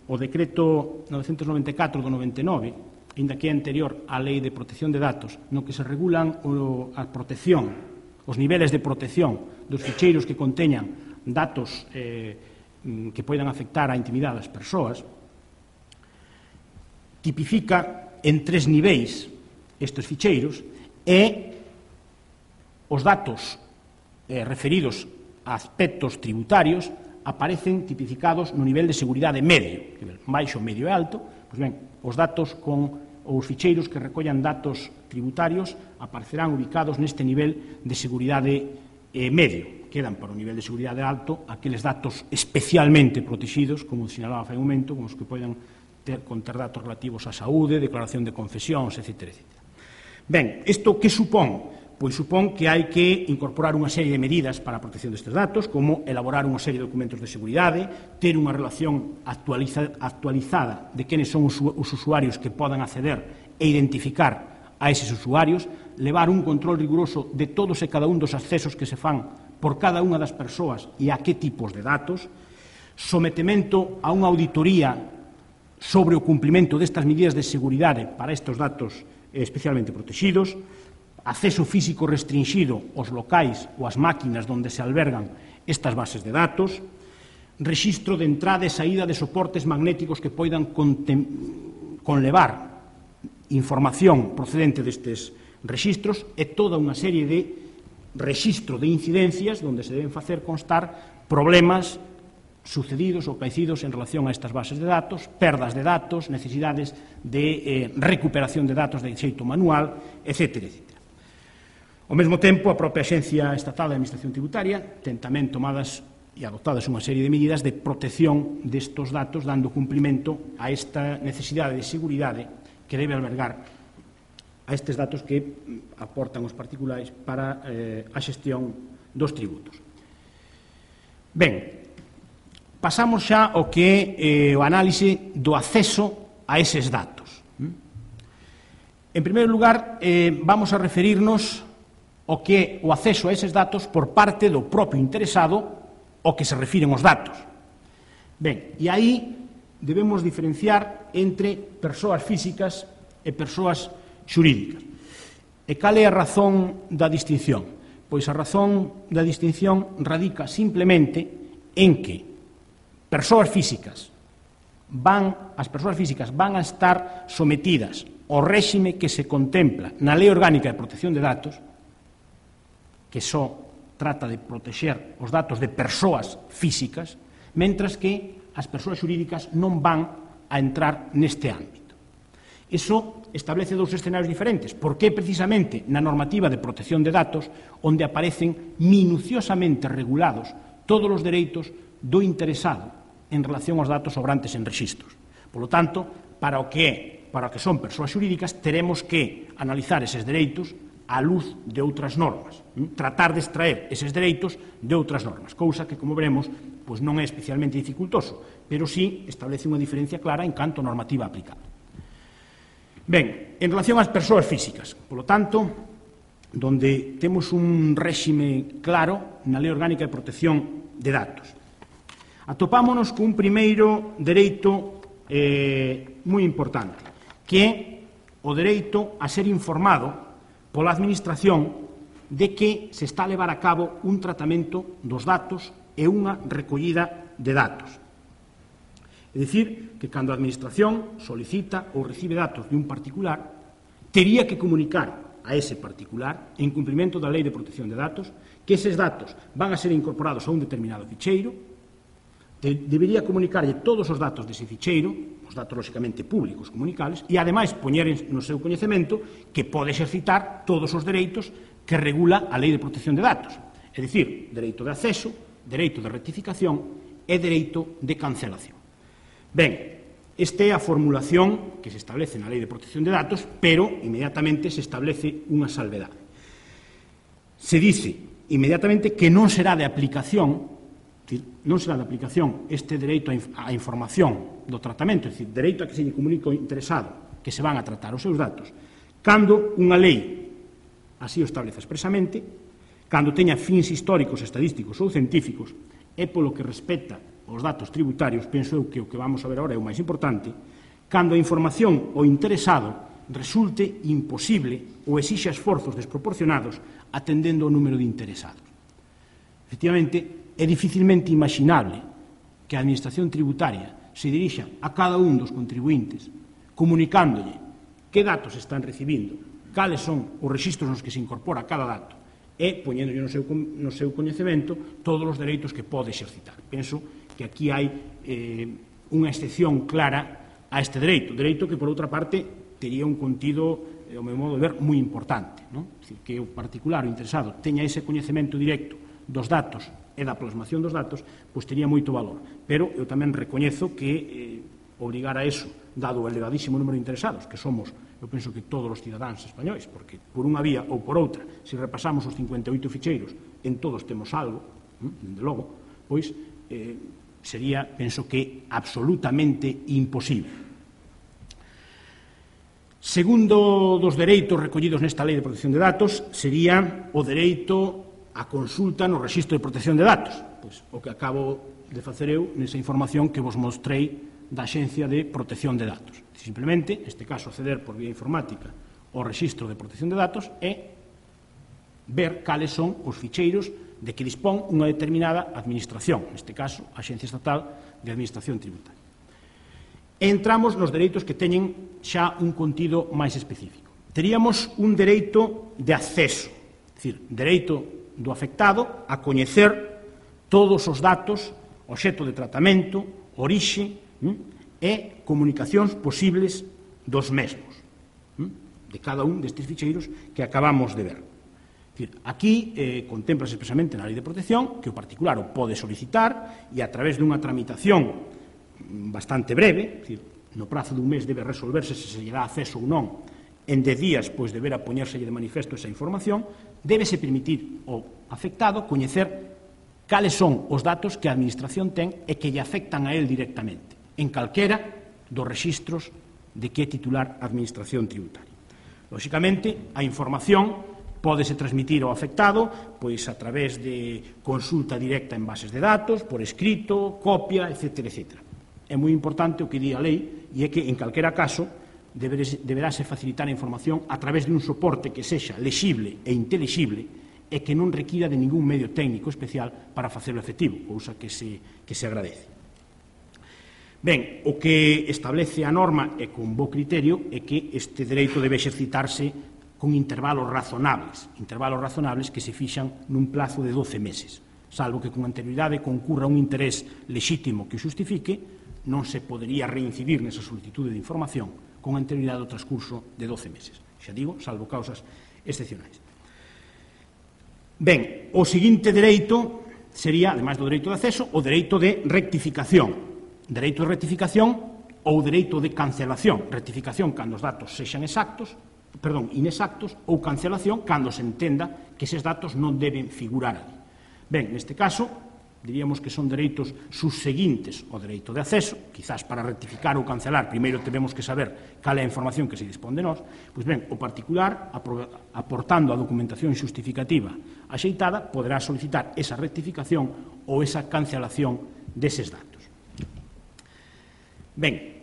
o decreto novecentos noventa e catro do noventa e nove, ainda que é anterior á Lei de Protección de Datos, no que se regulan o, a protección, os niveles de protección dos ficheiros que conteñan datos eh, que poidan afectar a intimidade das persoas, tipifica en tres niveis estes ficheiros e os datos eh, referidos a aspectos tributarios aparecen tipificados no nivel de seguridade medio, baixo, medio e alto. Pois ben, os datos con os ficheiros que recollan datos tributarios aparecerán ubicados neste nivel de seguridade eh, medio. Quedan para o nivel de seguridade alto aqueles datos especialmente protegidos, como sinalaba fai un momento, como os que poden ter, conter datos relativos á saúde, declaración de confesións, etcétera, etcétera. Ben, isto que supón? Pois supón que hai que incorporar unha serie de medidas para a protección destes datos, como elaborar unha serie de documentos de seguridade, ter unha relación actualiza, actualizada de quenes son os, os usuarios que podan acceder e identificar a eses usuarios, levar un control riguroso de todos e cada un dos accesos que se fan por cada unha das persoas e a que tipos de datos, sometemento a unha auditoría sobre o cumprimento destas medidas de seguridade para estes datos especialmente protegidos, acceso físico restringido aos locais ou ás máquinas onde se albergan estas bases de datos, rexistro de entrada e saída de soportes magnéticos que poidan conlevar información procedente destes rexistros e toda unha serie de rexistro de incidencias onde se deben facer constar problemas sucedidos ou caecidos en relación a estas bases de datos, perdas de datos, necesidades de eh, recuperación de datos de xeito manual, etcétera, etcétera. Ao mesmo tempo, a propia Axencia Estatal de Administración Tributaria ten tamén tomadas e adoptadas unha serie de medidas de protección destes datos, dando cumprimento a esta necesidade de seguridade que debe albergar a estes datos que aportan os particulares para eh, a xestión dos tributos. Ben, pasamos xa ao que é eh, o análise do acceso a eses datos. En primeiro lugar, eh, vamos a referirnos o que o acceso a eses datos por parte do propio interesado ao que se refiren os datos. Ben, e aí debemos diferenciar entre persoas físicas e persoas xurídicas. E cal é a razón da distinción? Pois a razón da distinción radica simplemente en que persoas físicas van, as persoas físicas van a estar sometidas ao réxime que se contempla na Lei Orgánica de Protección de Datos, que só trata de protexer os datos de persoas físicas, mentras que as persoas xurídicas non van a entrar neste ámbito. Iso establece dous escenarios diferentes, porque é precisamente na normativa de protección de datos onde aparecen minuciosamente regulados todos os dereitos do interesado en relación aos datos sobrantes en rexistros. Por lo tanto, para o que é, para o que son persoas xurídicas, teremos que analizar eses dereitos á luz de outras normas, tratar de extraer eses dereitos de outras normas, cousa que, como veremos, pois non é especialmente dificultoso, pero sí establece unha diferencia clara en canto a normativa aplicada. Ben, en relación ás persoas físicas, polo tanto, donde temos un réxime claro na Lei Orgánica de Protección de Datos, atopámonos cun primeiro dereito eh, moi importante, que é o dereito a ser informado pola Administración de que se está a levar a cabo un tratamento dos datos e unha recollida de datos. É dicir, que cando a Administración solicita ou recibe datos de un particular, tería que comunicar a ese particular, en cumprimento da Lei de Protección de Datos, que eses datos van a ser incorporados a un determinado ficheiro, debería comunicarlle todos os datos dese ficheiro, os datos lóxicamente públicos comunicables, e ademais poñer no seu coñecemento que pode exercitar todos os dereitos que regula a Lei de Protección de Datos, é dicir, dereito de acceso, dereito de rectificación e dereito de cancelación. Ben, esta é a formulación que se establece na Lei de Protección de Datos, pero inmediatamente se establece unha salvedade. Se dice inmediatamente que non será de aplicación non será de aplicación este dereito á información do tratamento, é dicir, dereito a que se lle comunique ao interesado que se van a tratar os seus datos, cando unha lei así o establece expresamente, cando teña fins históricos, estadísticos ou científicos, e polo que respecta aos datos tributarios, penso eu que o que vamos a ver agora é o máis importante, cando a información ao interesado resulte imposible ou exixa esforzos desproporcionados atendendo ao número de interesados. Efectivamente, é dificilmente imaginable que a Administración Tributaria se dirixa a cada un dos contribuintes comunicándolle que datos están recibindo, cales son os rexistros nos que se incorpora cada dato e poñéndolle no seu, no seu coñecemento todos os dereitos que pode exercitar. Penso que aquí hai eh, unha excepción clara a este dereito, dereito que, por outra parte, tería un contido, ao meu modo de ver, moi importante, non? É dicir, que o particular, o interesado, teña ese coñecemento directo dos datos e da plasmación dos datos, pois tería moito valor. Pero eu tamén recoñezo que eh, obrigar a eso, dado o elevadísimo número de interesados, que somos eu penso que todos os cidadáns españois, porque por unha vía ou por outra, se repasamos os cincuenta e oito ficheiros, en todos temos algo, dende logo, pois eh, sería, penso que, absolutamente imposible. Segundo dos dereitos recollidos nesta Lei de Protección de Datos sería o dereito á consulta no Rexistro de Protección de Datos, pois o que acabo de facer eu nesa información que vos mostrei da Axencia de Protección de Datos. Simplemente, neste caso, acceder por vía informática ao Rexistro de Protección de Datos e ver cales son os ficheiros de que dispón unha determinada administración, neste caso, a Axencia Estatal de Administración Tributaria. E entramos nos dereitos que teñen xa un contido máis específico. Teríamos un dereito de acceso, é dicir, dereito do afectado a coñecer todos os datos, obxecto de tratamento, orixe e comunicacións posibles dos mesmos, de cada un destes ficheiros que acabamos de ver. Aquí eh, contemplase expresamente na Lei de Protección que o particular o pode solicitar e a través dunha tramitación bastante breve, decir, no prazo dun mes debe resolverse se se lle dá acceso ou non, en dez días, pois, deberá poñérselle de manifesto esa información, débese permitir ao afectado coñecer cales son os datos que a Administración ten e que lle afectan a él directamente, en calquera dos rexistros de que é titular a Administración Tributaria. Lóxicamente, a información pódese transmitir ao afectado pois a través de consulta directa en bases de datos, por escrito, copia, etcétera, etcétera. É moi importante o que di a lei e é que, en calquera caso, deberase facilitar a información a través de un soporte que sexa lexible e intelixible e que non requira de ningún medio técnico especial para facelo efectivo, cousa que se, que se agradece. Ben, o que establece a norma e con bo criterio é que este dereito debe exercitarse con intervalos razonables, intervalos razonables que se fixan nun plazo de doce meses, salvo que con anterioridade concurra un interés lexítimo que o xustifique, non se podería reincidir nesa solicitude de información con anterioridade ao transcurso de doce meses. Xa digo, salvo causas excepcionais. Ben, o seguinte dereito sería, ademais do dereito de acceso, o dereito de rectificación. Dereito de rectificación ou dereito de cancelación. Rectificación cando os datos sexan exactos, perdón, inexactos, ou cancelación cando se entenda que eses datos non deben figurar ali. Ben, neste caso, diríamos que son dereitos subseguintes ao dereito de acceso, quizás para rectificar ou cancelar, primeiro temos que saber cal é a información que se dispón de nós, pois ben, o particular, aportando a documentación xustificativa axeitada, poderá solicitar esa rectificación ou esa cancelación deses datos. Ben,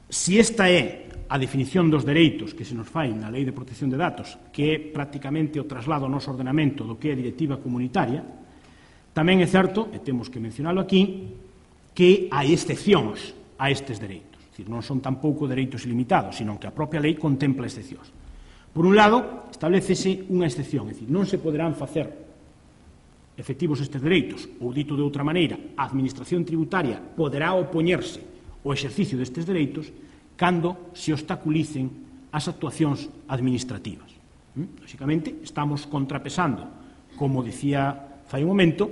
se esta é a definición dos dereitos que se nos fai na Lei de Protección de Datos, que é prácticamente o traslado ao noso ordenamento do que é a directiva comunitaria, tamén é certo, e temos que mencionalo aquí, que hai excepcións a estes dereitos. É dicir, non son tampouco dereitos ilimitados, sino que a propia lei contempla excepcións. Por un lado, establecese unha excepción, é dicir, non se poderán facer efectivos estes dereitos, ou dito de outra maneira, a Administración Tributaria poderá opoñerse ao exercicio destes dereitos cando se obstaculicen as actuacións administrativas. Lóxicamente, estamos contrapesando, como dicía fai un momento,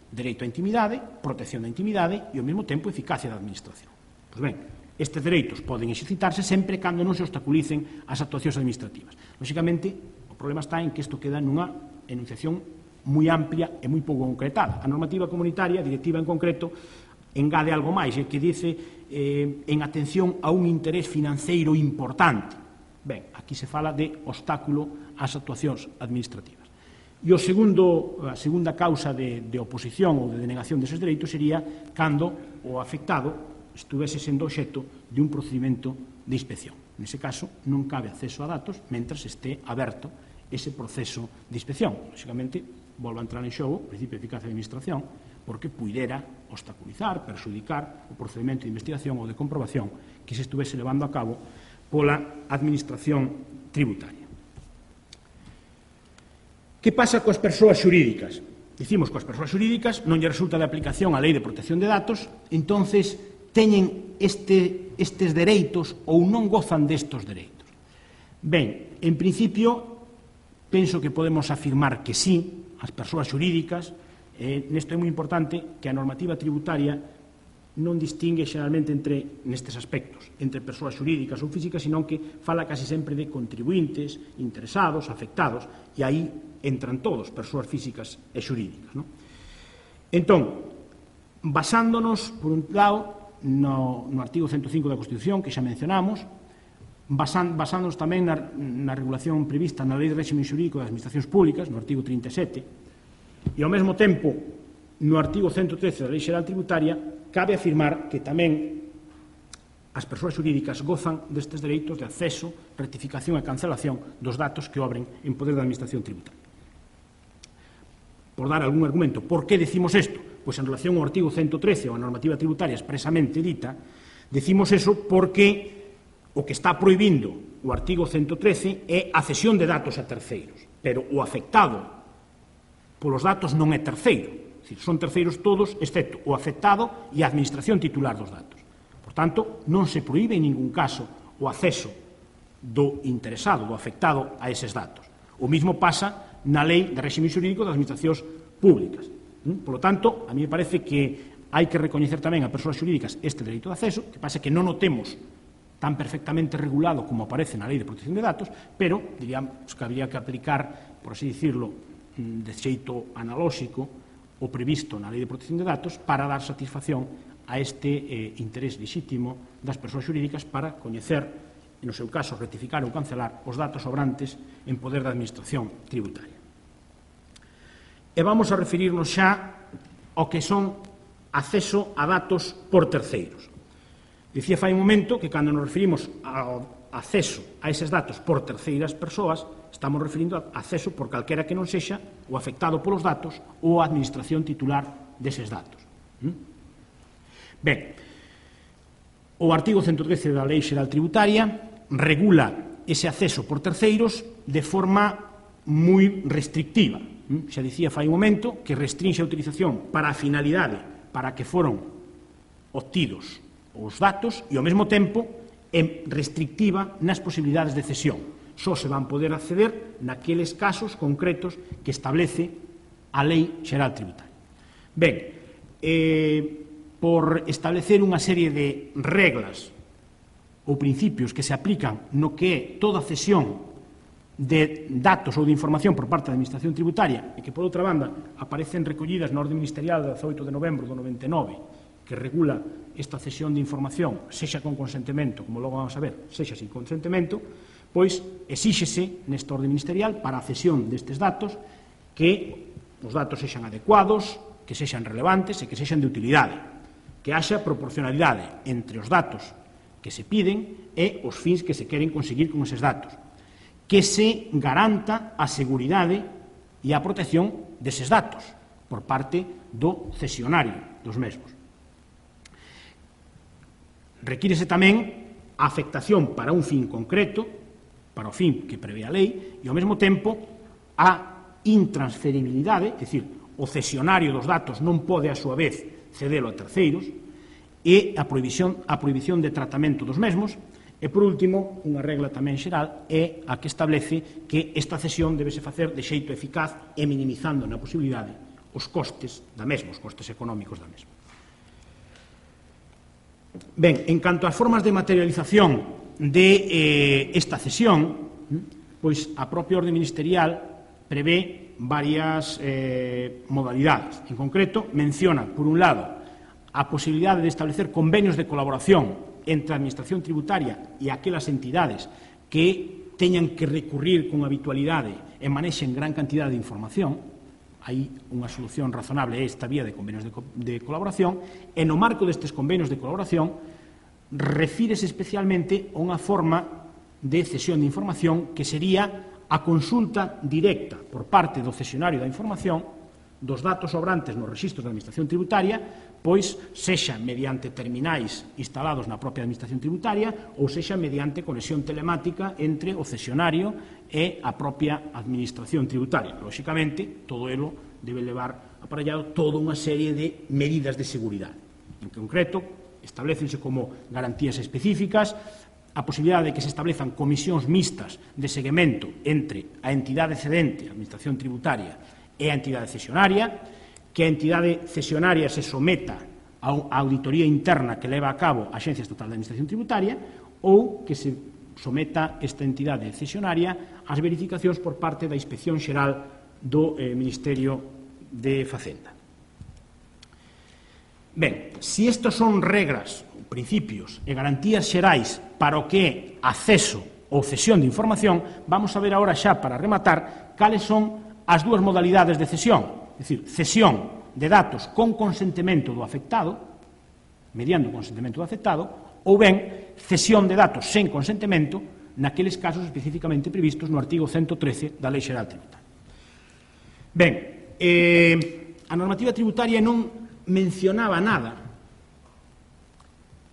dereito á intimidade, protección da intimidade e, ao mesmo tempo, eficacia da administración. Pois ben, estes dereitos poden exercitarse sempre cando non se obstaculicen as actuacións administrativas. Lóxicamente, o problema está en que isto queda nunha enunciación moi amplia e moi pouco concretada. A normativa comunitaria, a directiva en concreto, engade algo máis, que dice eh, en atención a un interés financeiro importante. Ben, aquí se fala de obstáculo ás actuacións administrativas. E o segundo, a segunda causa de, de oposición ou de denegación deses dereitos sería cando o afectado estuvese sendo obxecto de un procedimento de inspección. Nese caso, non cabe acceso a datos mentres este aberto ese proceso de inspección. Lóxicamente, volve a entrar en xogo o principio de eficacia de administración, porque puidera obstaculizar, perxudicar o procedimento de investigación ou de comprobación que se estuvese levando a cabo pola administración tributaria. Que pasa coas persoas xurídicas? Dicimos que as persoas xurídicas non lle resulta de aplicación a Lei de Protección de Datos, entonces teñen este, estes dereitos ou non gozan destos dereitos. Ben, en principio, penso que podemos afirmar que sí, as persoas xurídicas, eh, nesto é moi importante que a normativa tributaria non distingue xeralmente entre, nestes aspectos, entre persoas xurídicas ou físicas, senón que fala casi sempre de contribuintes, interesados, afectados, e aí entran todos, persoas físicas e xurídicas. Non? Entón, basándonos, por un lado, no, no artigo ciento cinco da Constitución, que xa mencionamos, basan, basándonos tamén na, na regulación prevista na Lei de Réxime Xurídico das Administracións Públicas, no artigo trinta e sete, e ao mesmo tempo, no artigo ciento trece da Lei Xeral Tributaria, cabe afirmar que tamén as persoas xurídicas gozan destes dereitos de acceso, rectificación e cancelación dos datos que obren en poder da Administración Tributaria. Por dar algún argumento, por que decimos isto? Pois en relación ao artigo ciento trece ou a normativa tributaria expresamente dita, decimos eso porque o que está prohibindo o artigo ciento trece é a cesión de datos a terceiros, pero o afectado polos datos non é terceiro. Son terceiros todos, excepto o afectado e a administración titular dos datos. Por tanto, non se proíbe en ningún caso o acceso do interesado, do afectado a eses datos. O mismo pasa na Lei de Réxime Xurídico das Administracións Públicas. Por lo tanto, a mí me parece que hai que recoñecer tamén a persoas xurídicas este dereito de acceso, que pasa que non o temos tan perfectamente regulado como aparece na Lei de Protección de Datos, pero diríamos que habría que aplicar, por así dicirlo, de xeito analóxico o previsto na Lei de Protección de Datos para dar satisfacción a este eh, interés lexítimo das persoas xurídicas para coñecer, no seu caso, rectificar ou cancelar os datos sobrantes en poder da Administración Tributaria. E vamos a referirnos xa ao que son acceso a datos por terceiros. Dicía fai un momento que cando nos referimos ao acceso a eses datos por terceiras persoas, estamos referindo a acceso por calquera que non sexa o afectado polos datos ou a administración titular deses datos. Ben, o artigo ciento trece da Lei Xeral Tributaria regula ese acceso por terceiros de forma moi restrictiva. Xa dicía fai un momento que restringe a utilización para a finalidade para que foron obtidos os datos e, ao mesmo tempo, é restrictiva nas posibilidades de cesión. Só se van poder acceder naqueles casos concretos que establece a Lei Xeral Tributaria. Ben, eh, por establecer unha serie de reglas ou principios que se aplican no que é toda cesión de datos ou de información por parte da Administración Tributaria e que, por outra banda, aparecen recollidas na Orde Ministerial de dezaoito de novembro do noventa e nove, que regula esta cesión de información, sexa con consentimento, como logo vamos a ver, sexa sin consentimento, pois exíxese nesta orde ministerial para a cesión destes datos que os datos sexan adecuados, que sexan relevantes e que sexan de utilidade, que haxa proporcionalidade entre os datos que se piden e os fins que se queren conseguir con eses datos, que se garanta a seguridade e a protección deses datos por parte do cesionario dos mesmos. Requírese tamén a afectación para un fin concreto, para o fin que prevé a lei, e ao mesmo tempo a intransferibilidade, é dicir, o cesionario dos datos non pode a súa vez cedelo a terceiros, e a prohibición, a prohibición de tratamento dos mesmos. E, por último, unha regla tamén xeral é a que establece que esta cesión debese facer de xeito eficaz e minimizando na posibilidade os costes da mesma, os costes económicos da mesma. Ben, en canto ás formas de materialización de eh, esta cesión, pois a propia orde ministerial prevé varias eh, modalidades. En concreto, menciona, por un lado, a posibilidade de establecer convenios de colaboración entre a Administración Tributaria e aquelas entidades que teñan que recurrir con habitualidade e manexen gran cantidad de información. Hai unha solución razonable esta vía de convenios de, co de colaboración, e no marco destes convenios de colaboración refírese especialmente a unha forma de cesión de información que sería a consulta directa por parte do cesionario da información dos datos sobrantes nos rexistros da Administración Tributaria, pois sexa mediante terminais instalados na propia Administración Tributaria ou sexa mediante conexión telemática entre o cesionario e a propia Administración Tributaria. Lóxicamente, todo elo debe levar aparellado toda unha serie de medidas de seguridade. En concreto, establecense como garantías específicas a posibilidade de que se establezan comisións mixtas de seguimento entre a entidade cedente, a Administración Tributaria, e a entidade cesionaria, que a entidade cesionaria se someta a auditoría interna que leva a cabo a Axencia Estatal de Administración Tributaria ou que se someta esta entidade cesionaria ás verificacións por parte da Inspección Xeral do eh, Ministerio de Facenda. Ben, se estes son regras, principios e garantías xerais para o que é acceso ou cesión de información, vamos a ver agora xa para rematar cales son as dúas modalidades de cesión, é dicir, cesión de datos con consentimento do afectado, mediante o consentimento do afectado, ou ben cesión de datos sen consentimento naqueles casos especificamente previstos no artigo ciento trece da Lei Xeral Tributaria. Ben, eh, a normativa tributaria non mencionaba nada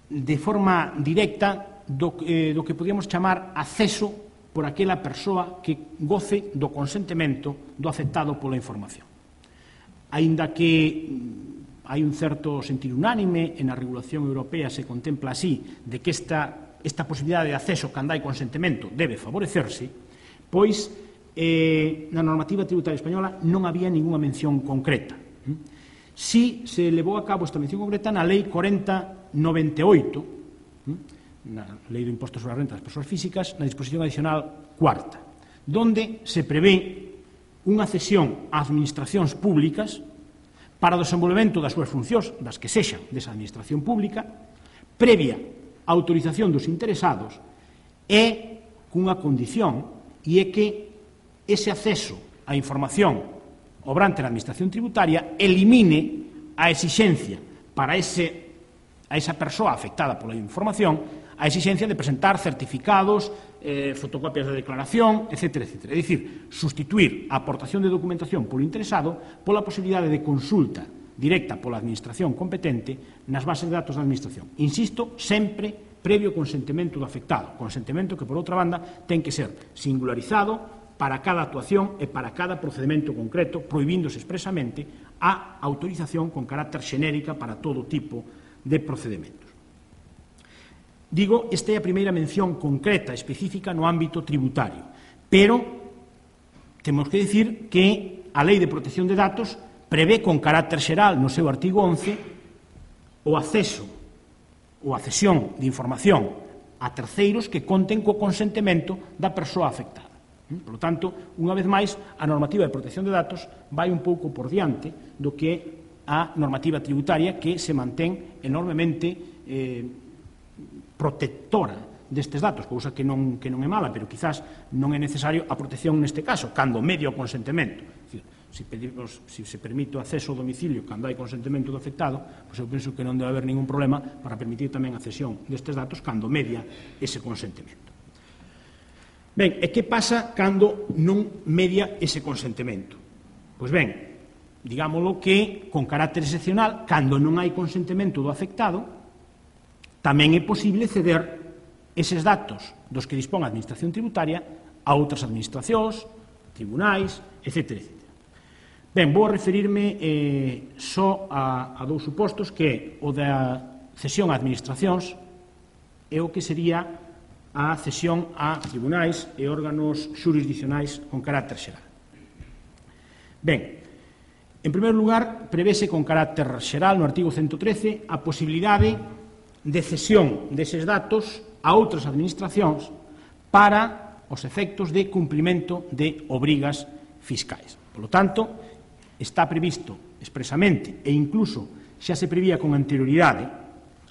de forma directa do, eh, do que podíamos chamar acceso por aquela persoa que goce do consentimento do afectado pola información. Aínda que hai un certo sentido unánime e na regulación europea se contempla así de que esta, esta posibilidade de acceso cando hai consentimento debe favorecerse, pois eh, na normativa tributaria española non había ninguna mención concreta. Si se levou a cabo esta mención concreta na Lei cuarenta noventa e oito, na Lei do Imposto sobre a Renta das Persoas Físicas, na disposición adicional cuarta, donde se prevé unha cesión a administracións públicas para o desenvolvemento das súas funcións, das que sexan desa administración pública, previa autorización dos interesados e cunha condición, e é que ese acceso á información obrante na administración tributaria elimine a exixencia para ese, a esa persoa afectada pola información, a exixencia de presentar certificados, eh, fotocopias de declaración, etcétera, etcétera. É dicir, sustituir a aportación de documentación polo interesado pola posibilidade de consulta directa pola administración competente nas bases de datos da administración. Insisto, sempre previo consentimento do afectado, consentimento que, por outra banda, ten que ser singularizado para cada actuación e para cada procedimento concreto, prohibíndose expresamente a autorización con carácter xenérica para todo tipo de procedimentos. Digo, esta é a primeira mención concreta, específica no ámbito tributario, pero temos que dicir que a Lei de Protección de Datos prevé con carácter xeral no seu artigo once o acceso ou a cesión de información a terceiros que conten co consentimento da persoa afectada. Por lo tanto, unha vez máis, a normativa de protección de datos vai un pouco por diante do que é a normativa tributaria que se mantén enormemente eh, protectora destes datos, cousa que non, que non é mala, pero quizás non é necesario a protección neste caso, cando medio o consentimento. Dicir, se, pedimos, se se permite o acceso ao domicilio cando hai consentimento do afectado, pois eu penso que non debe haber ningún problema para permitir tamén a cesión destes datos cando media ese consentimento. Ben, e que pasa cando non media ese consentimento? Pois ben, digámoslo que, con carácter excepcional, cando non hai consentimento do afectado, tamén é posible ceder eses datos dos que dispón a Administración Tributaria a outras administracións, tribunais, etcétera, etcétera. Ben, vou referirme eh, só a, a dous supostos, que é o da cesión a administracións e o que sería a cesión a tribunais e órganos xurisdicionais con carácter xeral. Ben, en primeiro lugar, prevese con carácter xeral no artigo ciento trece a posibilidade de cesión deses datos a outras administracións para os efectos de cumprimento de obrigas fiscais. Por lo tanto, está previsto expresamente e incluso xa se prevía con anterioridade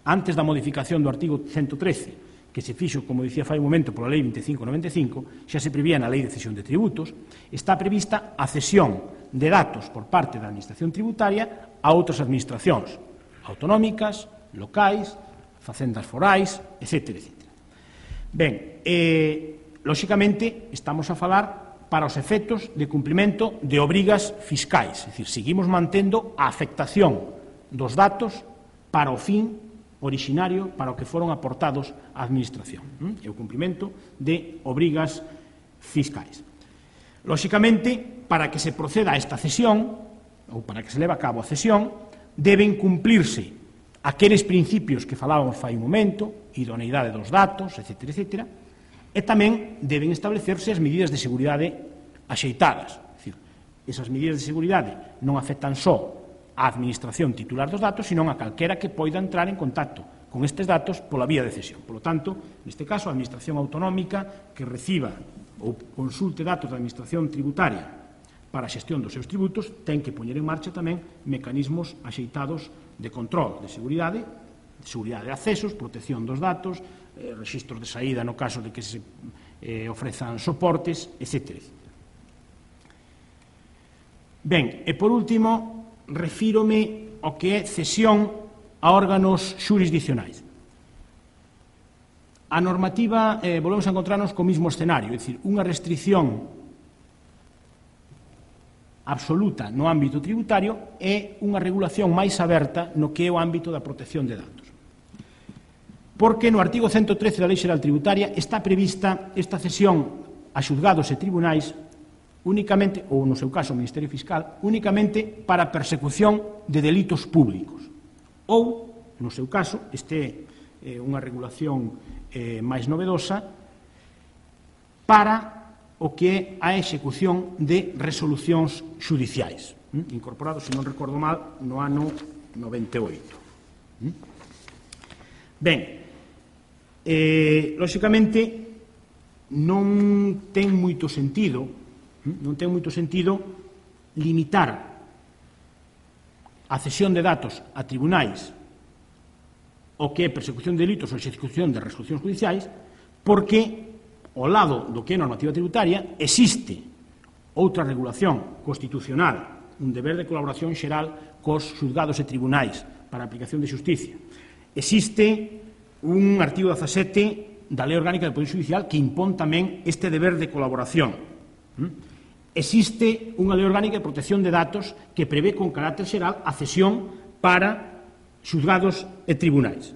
antes da modificación do artigo ciento trece que se fixo, como dicía fai un momento, pola Lei veinticinco noventa e cinco, xa se prevía na Lei de Cesión de Tributos, está prevista a cesión de datos por parte da Administración Tributaria a outras administracións autonómicas, locais, facendas forais, etcétera, etcétera. Ben, eh, lóxicamente, estamos a falar para os efectos de cumprimento de obrigas fiscais, é dicir, seguimos mantendo a afectación dos datos para o fin originario para o que foron aportados á Administración, e o cumprimento de obrigas fiscais. Lóxicamente, para que se proceda a esta cesión, ou para que se leve a cabo a cesión, deben cumplirse aqueles principios que falábamos fai un momento, idoneidade dos datos, etcétera, etcétera, e tamén deben establecerse as medidas de seguridade axeitadas. É dicir, esas medidas de seguridade non afectan só á administración titular dos datos, senón a calquera que poida entrar en contacto con estes datos pola vía de cesión. Por lo tanto, neste caso, a administración autonómica que reciba ou consulte datos da administración tributaria para a xestión dos seus tributos ten que poñer en marcha tamén mecanismos axeitados de control, de seguridade, de seguridade de accesos, protección dos datos, eh, registros de saída no caso de que se eh, ofrezan soportes, etcétera. Ben, e por último, refírome ao que é cesión a órganos xurisdiccionais. A normativa, eh, volvemos a encontrarnos co mismo escenario, é dicir, unha restricción absoluta no ámbito tributario e unha regulación máis aberta no que é o ámbito da protección de datos. Porque no artigo ciento trece da Lei Xeral Tributaria está prevista esta cesión a xuzgados e tribunais únicamente, ou no seu caso o Ministerio Fiscal, únicamente para a persecución de delitos públicos. Ou, no seu caso, este é eh, unha regulación eh, máis novedosa para o que é a execución de resolucións xudiciais, hm? incorporado, se non recordo mal, no ano noventa e oito. Hm? Ben, eh, lóxicamente, non ten moito sentido, hm? non ten moito sentido limitar a cesión de datos a tribunais o que é persecución de delitos ou execución de resolucións judiciais, porque ao lado do que é normativa tributaria existe outra regulación constitucional, un deber de colaboración xeral cos xuzgados e tribunais para a aplicación de xusticia. Existe un artigo dezasete da Lei Orgánica do Poder Xudicial que impón tamén este deber de colaboración. Existe unha Lei Orgánica de Protección de Datos que prevé con carácter xeral a cesión para xuzgados e tribunais.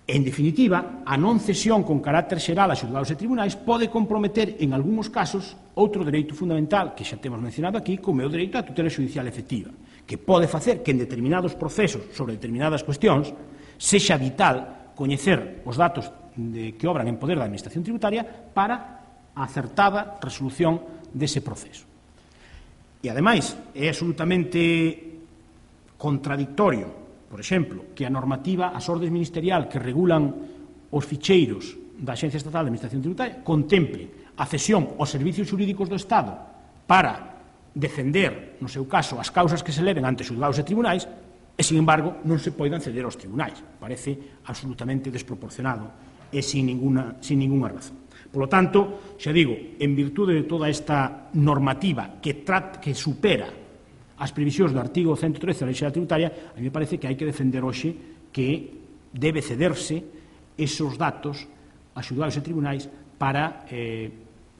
En definitiva, a non cesión con carácter xeral a xuzgados e tribunais pode comprometer, en algúns casos, outro dereito fundamental que xa temos mencionado aquí, como é o dereito á tutela xudicial efectiva, que pode facer que en determinados procesos sobre determinadas cuestións sexa vital coñecer os datos de que obran en poder da Administración Tributaria para a acertada resolución dese proceso. E, ademais, é absolutamente contradictorio, por exemplo, que a normativa, as ordes ministerial que regulan os ficheiros da Axencia Estatal de Administración Tributaria contemple a cesión aos servicios xurídicos do Estado para defender, no seu caso, as causas que se leven ante xuzgados e tribunais e, sin embargo, non se poidan ceder aos tribunais. Parece absolutamente desproporcionado e sin ninguna, sin ninguna razón. Por lo tanto, xa digo, en virtude de toda esta normativa que, trat, que supera as previsións do artigo ciento trece da Lei Xeral Tributaria, a mí me parece que hai que defender hoxe que debe cederse esos datos a xuzgados e tribunais para eh,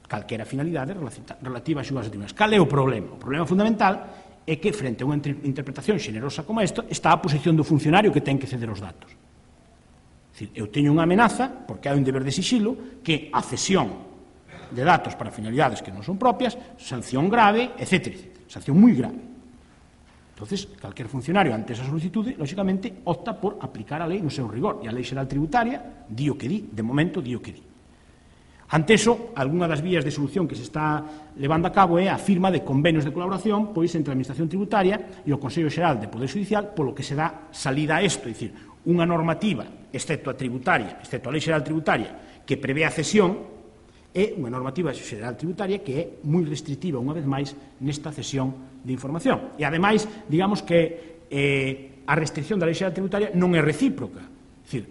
calquera finalidade relativa a xuzgados e tribunais. Cal é o problema? O problema fundamental é que, frente a unha interpretación xenerosa como esta, está a posición do funcionario que ten que ceder os datos. É dicir, eu teño unha amenaza, porque hai un deber de sigilo, que a cesión de datos para finalidades que non son propias, sanción grave, etcétera, etcétera. Sanción moi grave. Entonces, calquer funcionario ante esa solicitude, lóxicamente, opta por aplicar a lei no seu rigor. E a Lei Xeral Tributaria di o que di, de momento di o que di. Ante eso, algunha das vías de solución que se está levando a cabo é a firma de convenios de colaboración pois entre a Administración Tributaria e o Consello Xeral de Poder Xudicial, polo que se dá salida a isto, é dicir, unha normativa, excepto a tributaria, excepto a Lei Xeral Tributaria, que prevé a cesión, é unha normativa xeral tributaria que é moi restrictiva, unha vez máis, nesta cesión de información. E, ademais, digamos que eh, a restricción da Lei Xeral Tributaria non é recíproca. É dicir,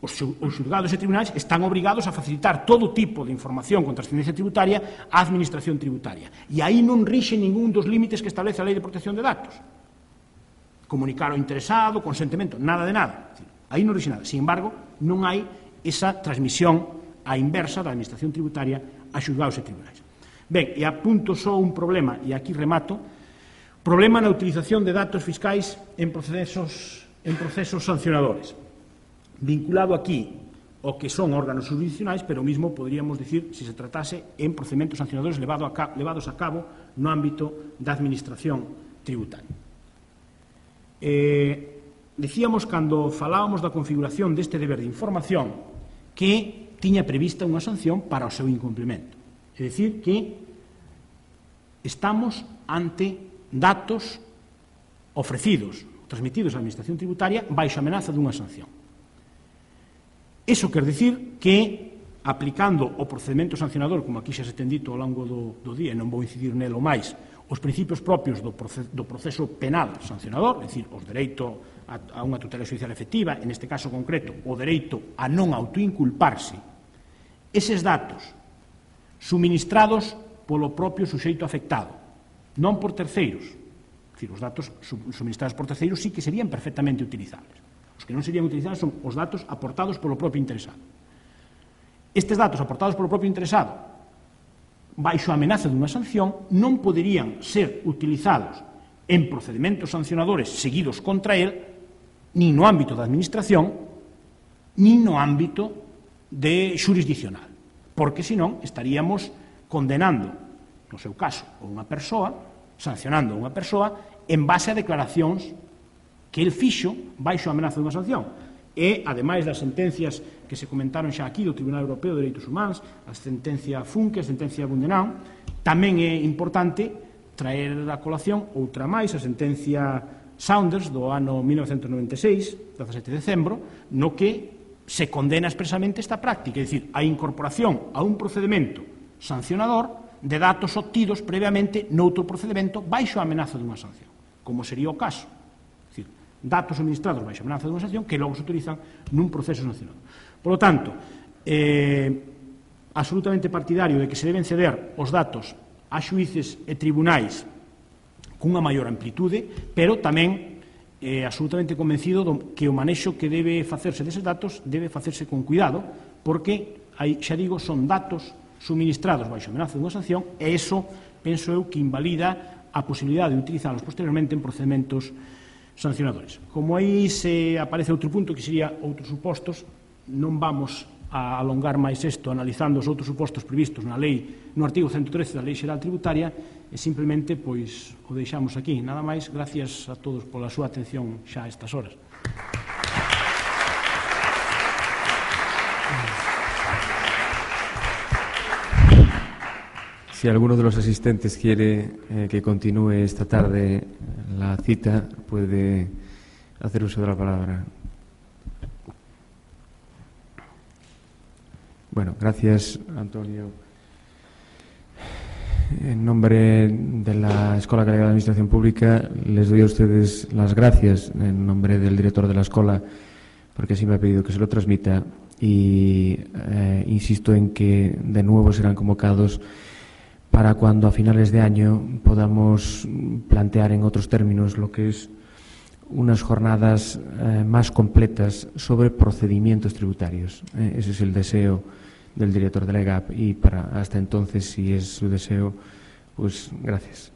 os xuzgados e tribunais están obrigados a facilitar todo tipo de información con trascendencia tributaria á Administración Tributaria. E aí non rixe ningún dos límites que establece a Lei de Protección de Datos. Comunicar ao interesado, consentimento, nada de nada. É dicir, aí non rixe nada. Sin embargo, non hai esa transmisión a inversa da Administración Tributaria a xuzgados e tribunais. Ben, e apunto só un problema, e aquí remato, problema na utilización de datos fiscais en procesos, en procesos sancionadores, vinculado aquí ao que son órganos jurisdiccionais, pero o mismo podríamos dicir se se tratase en procedementos sancionadores levado a cabo, levados a cabo no ámbito da Administración Tributaria. Eh, dicíamos, cando falábamos da configuración deste deber de información, que tiña prevista unha sanción para o seu incumprimento. É dicir, que estamos ante datos ofrecidos, transmitidos á Administración Tributaria baixo amenaza dunha sanción. Iso quer dicir que, aplicando o procedimento sancionador, como aquí xa se ten dito ao longo do, do día, e non vou incidir nelo máis, os principios propios do proceso, do proceso penal sancionador, é dicir, os dereito a, a unha tutela judicial efectiva, en este caso concreto, o dereito a non autoinculparse, eses datos suministrados polo propio suxeito afectado, non por terceiros, é dicir, os datos suministrados por terceiros sí que serían perfectamente utilizables. Os que non serían utilizables son os datos aportados polo propio interesado. Estes datos aportados polo propio interesado baixo a amenaza dunha sanción non poderían ser utilizados en procedimentos sancionadores seguidos contra él nin no ámbito da administración nin no ámbito de xurisdiccional, porque senón estaríamos condenando, no seu caso, a unha persoa, sancionando a unha persoa en base a declaracións que el fixo baixo a amenaza dunha sanción. E, ademais das sentencias que se comentaron xa aquí do Tribunal Europeo de Dereitos Humanos, a sentencia Funke, a sentencia Bundenau, tamén é importante traer a colación outra máis, a sentencia Saunders do ano mil novecentos noventa e seis, dezasete de decembro, no que se condena expresamente esta práctica, é dicir, a incorporación a un procedimento sancionador de datos obtidos previamente noutro procedimento baixo a amenaza dunha sanción, como sería o caso. Datos suministrados baixo a amenaza dunha sanción que logo se utilizan nun proceso sancionador. Por lo tanto, eh, absolutamente partidario de que se deben ceder os datos a xuíces e tribunais cunha maior amplitude, pero tamén eh, absolutamente convencido do que o manexo que debe facerse deses datos debe facerse con cuidado, porque, aí, xa digo, son datos suministrados baixo a amenaza dunha sanción e iso, penso eu, que invalida a posibilidade de utilizarlos posteriormente en procedimentos sancionadores. Como aí se aparece outro punto que sería outros supostos, non vamos a alongar máis isto analizando os outros supostos previstos na lei, no artigo ciento trece da Lei Xeral Tributaria, e simplemente pois o deixamos aquí. Nada máis, gracias a todos pola súa atención xa a estas horas. Si alguno de los asistentes quiere eh, que continúe esta tarde la cita, puede hacer uso de la palabra. Bueno, gracias, Antonio. En nombre de la Escola Galega de Administración Pública, les doy a ustedes las gracias en nombre del director de la escuela, porque así me ha pedido que se lo transmita, y eh, insisto en que de nuevo serán convocados para cuando a finales de año podamos plantear en otros términos lo que es unas jornadas eh, más completas sobre procedimientos tributarios. Eh, ese es el deseo del director de la E G A P y para hasta entonces, si es su deseo, pues gracias.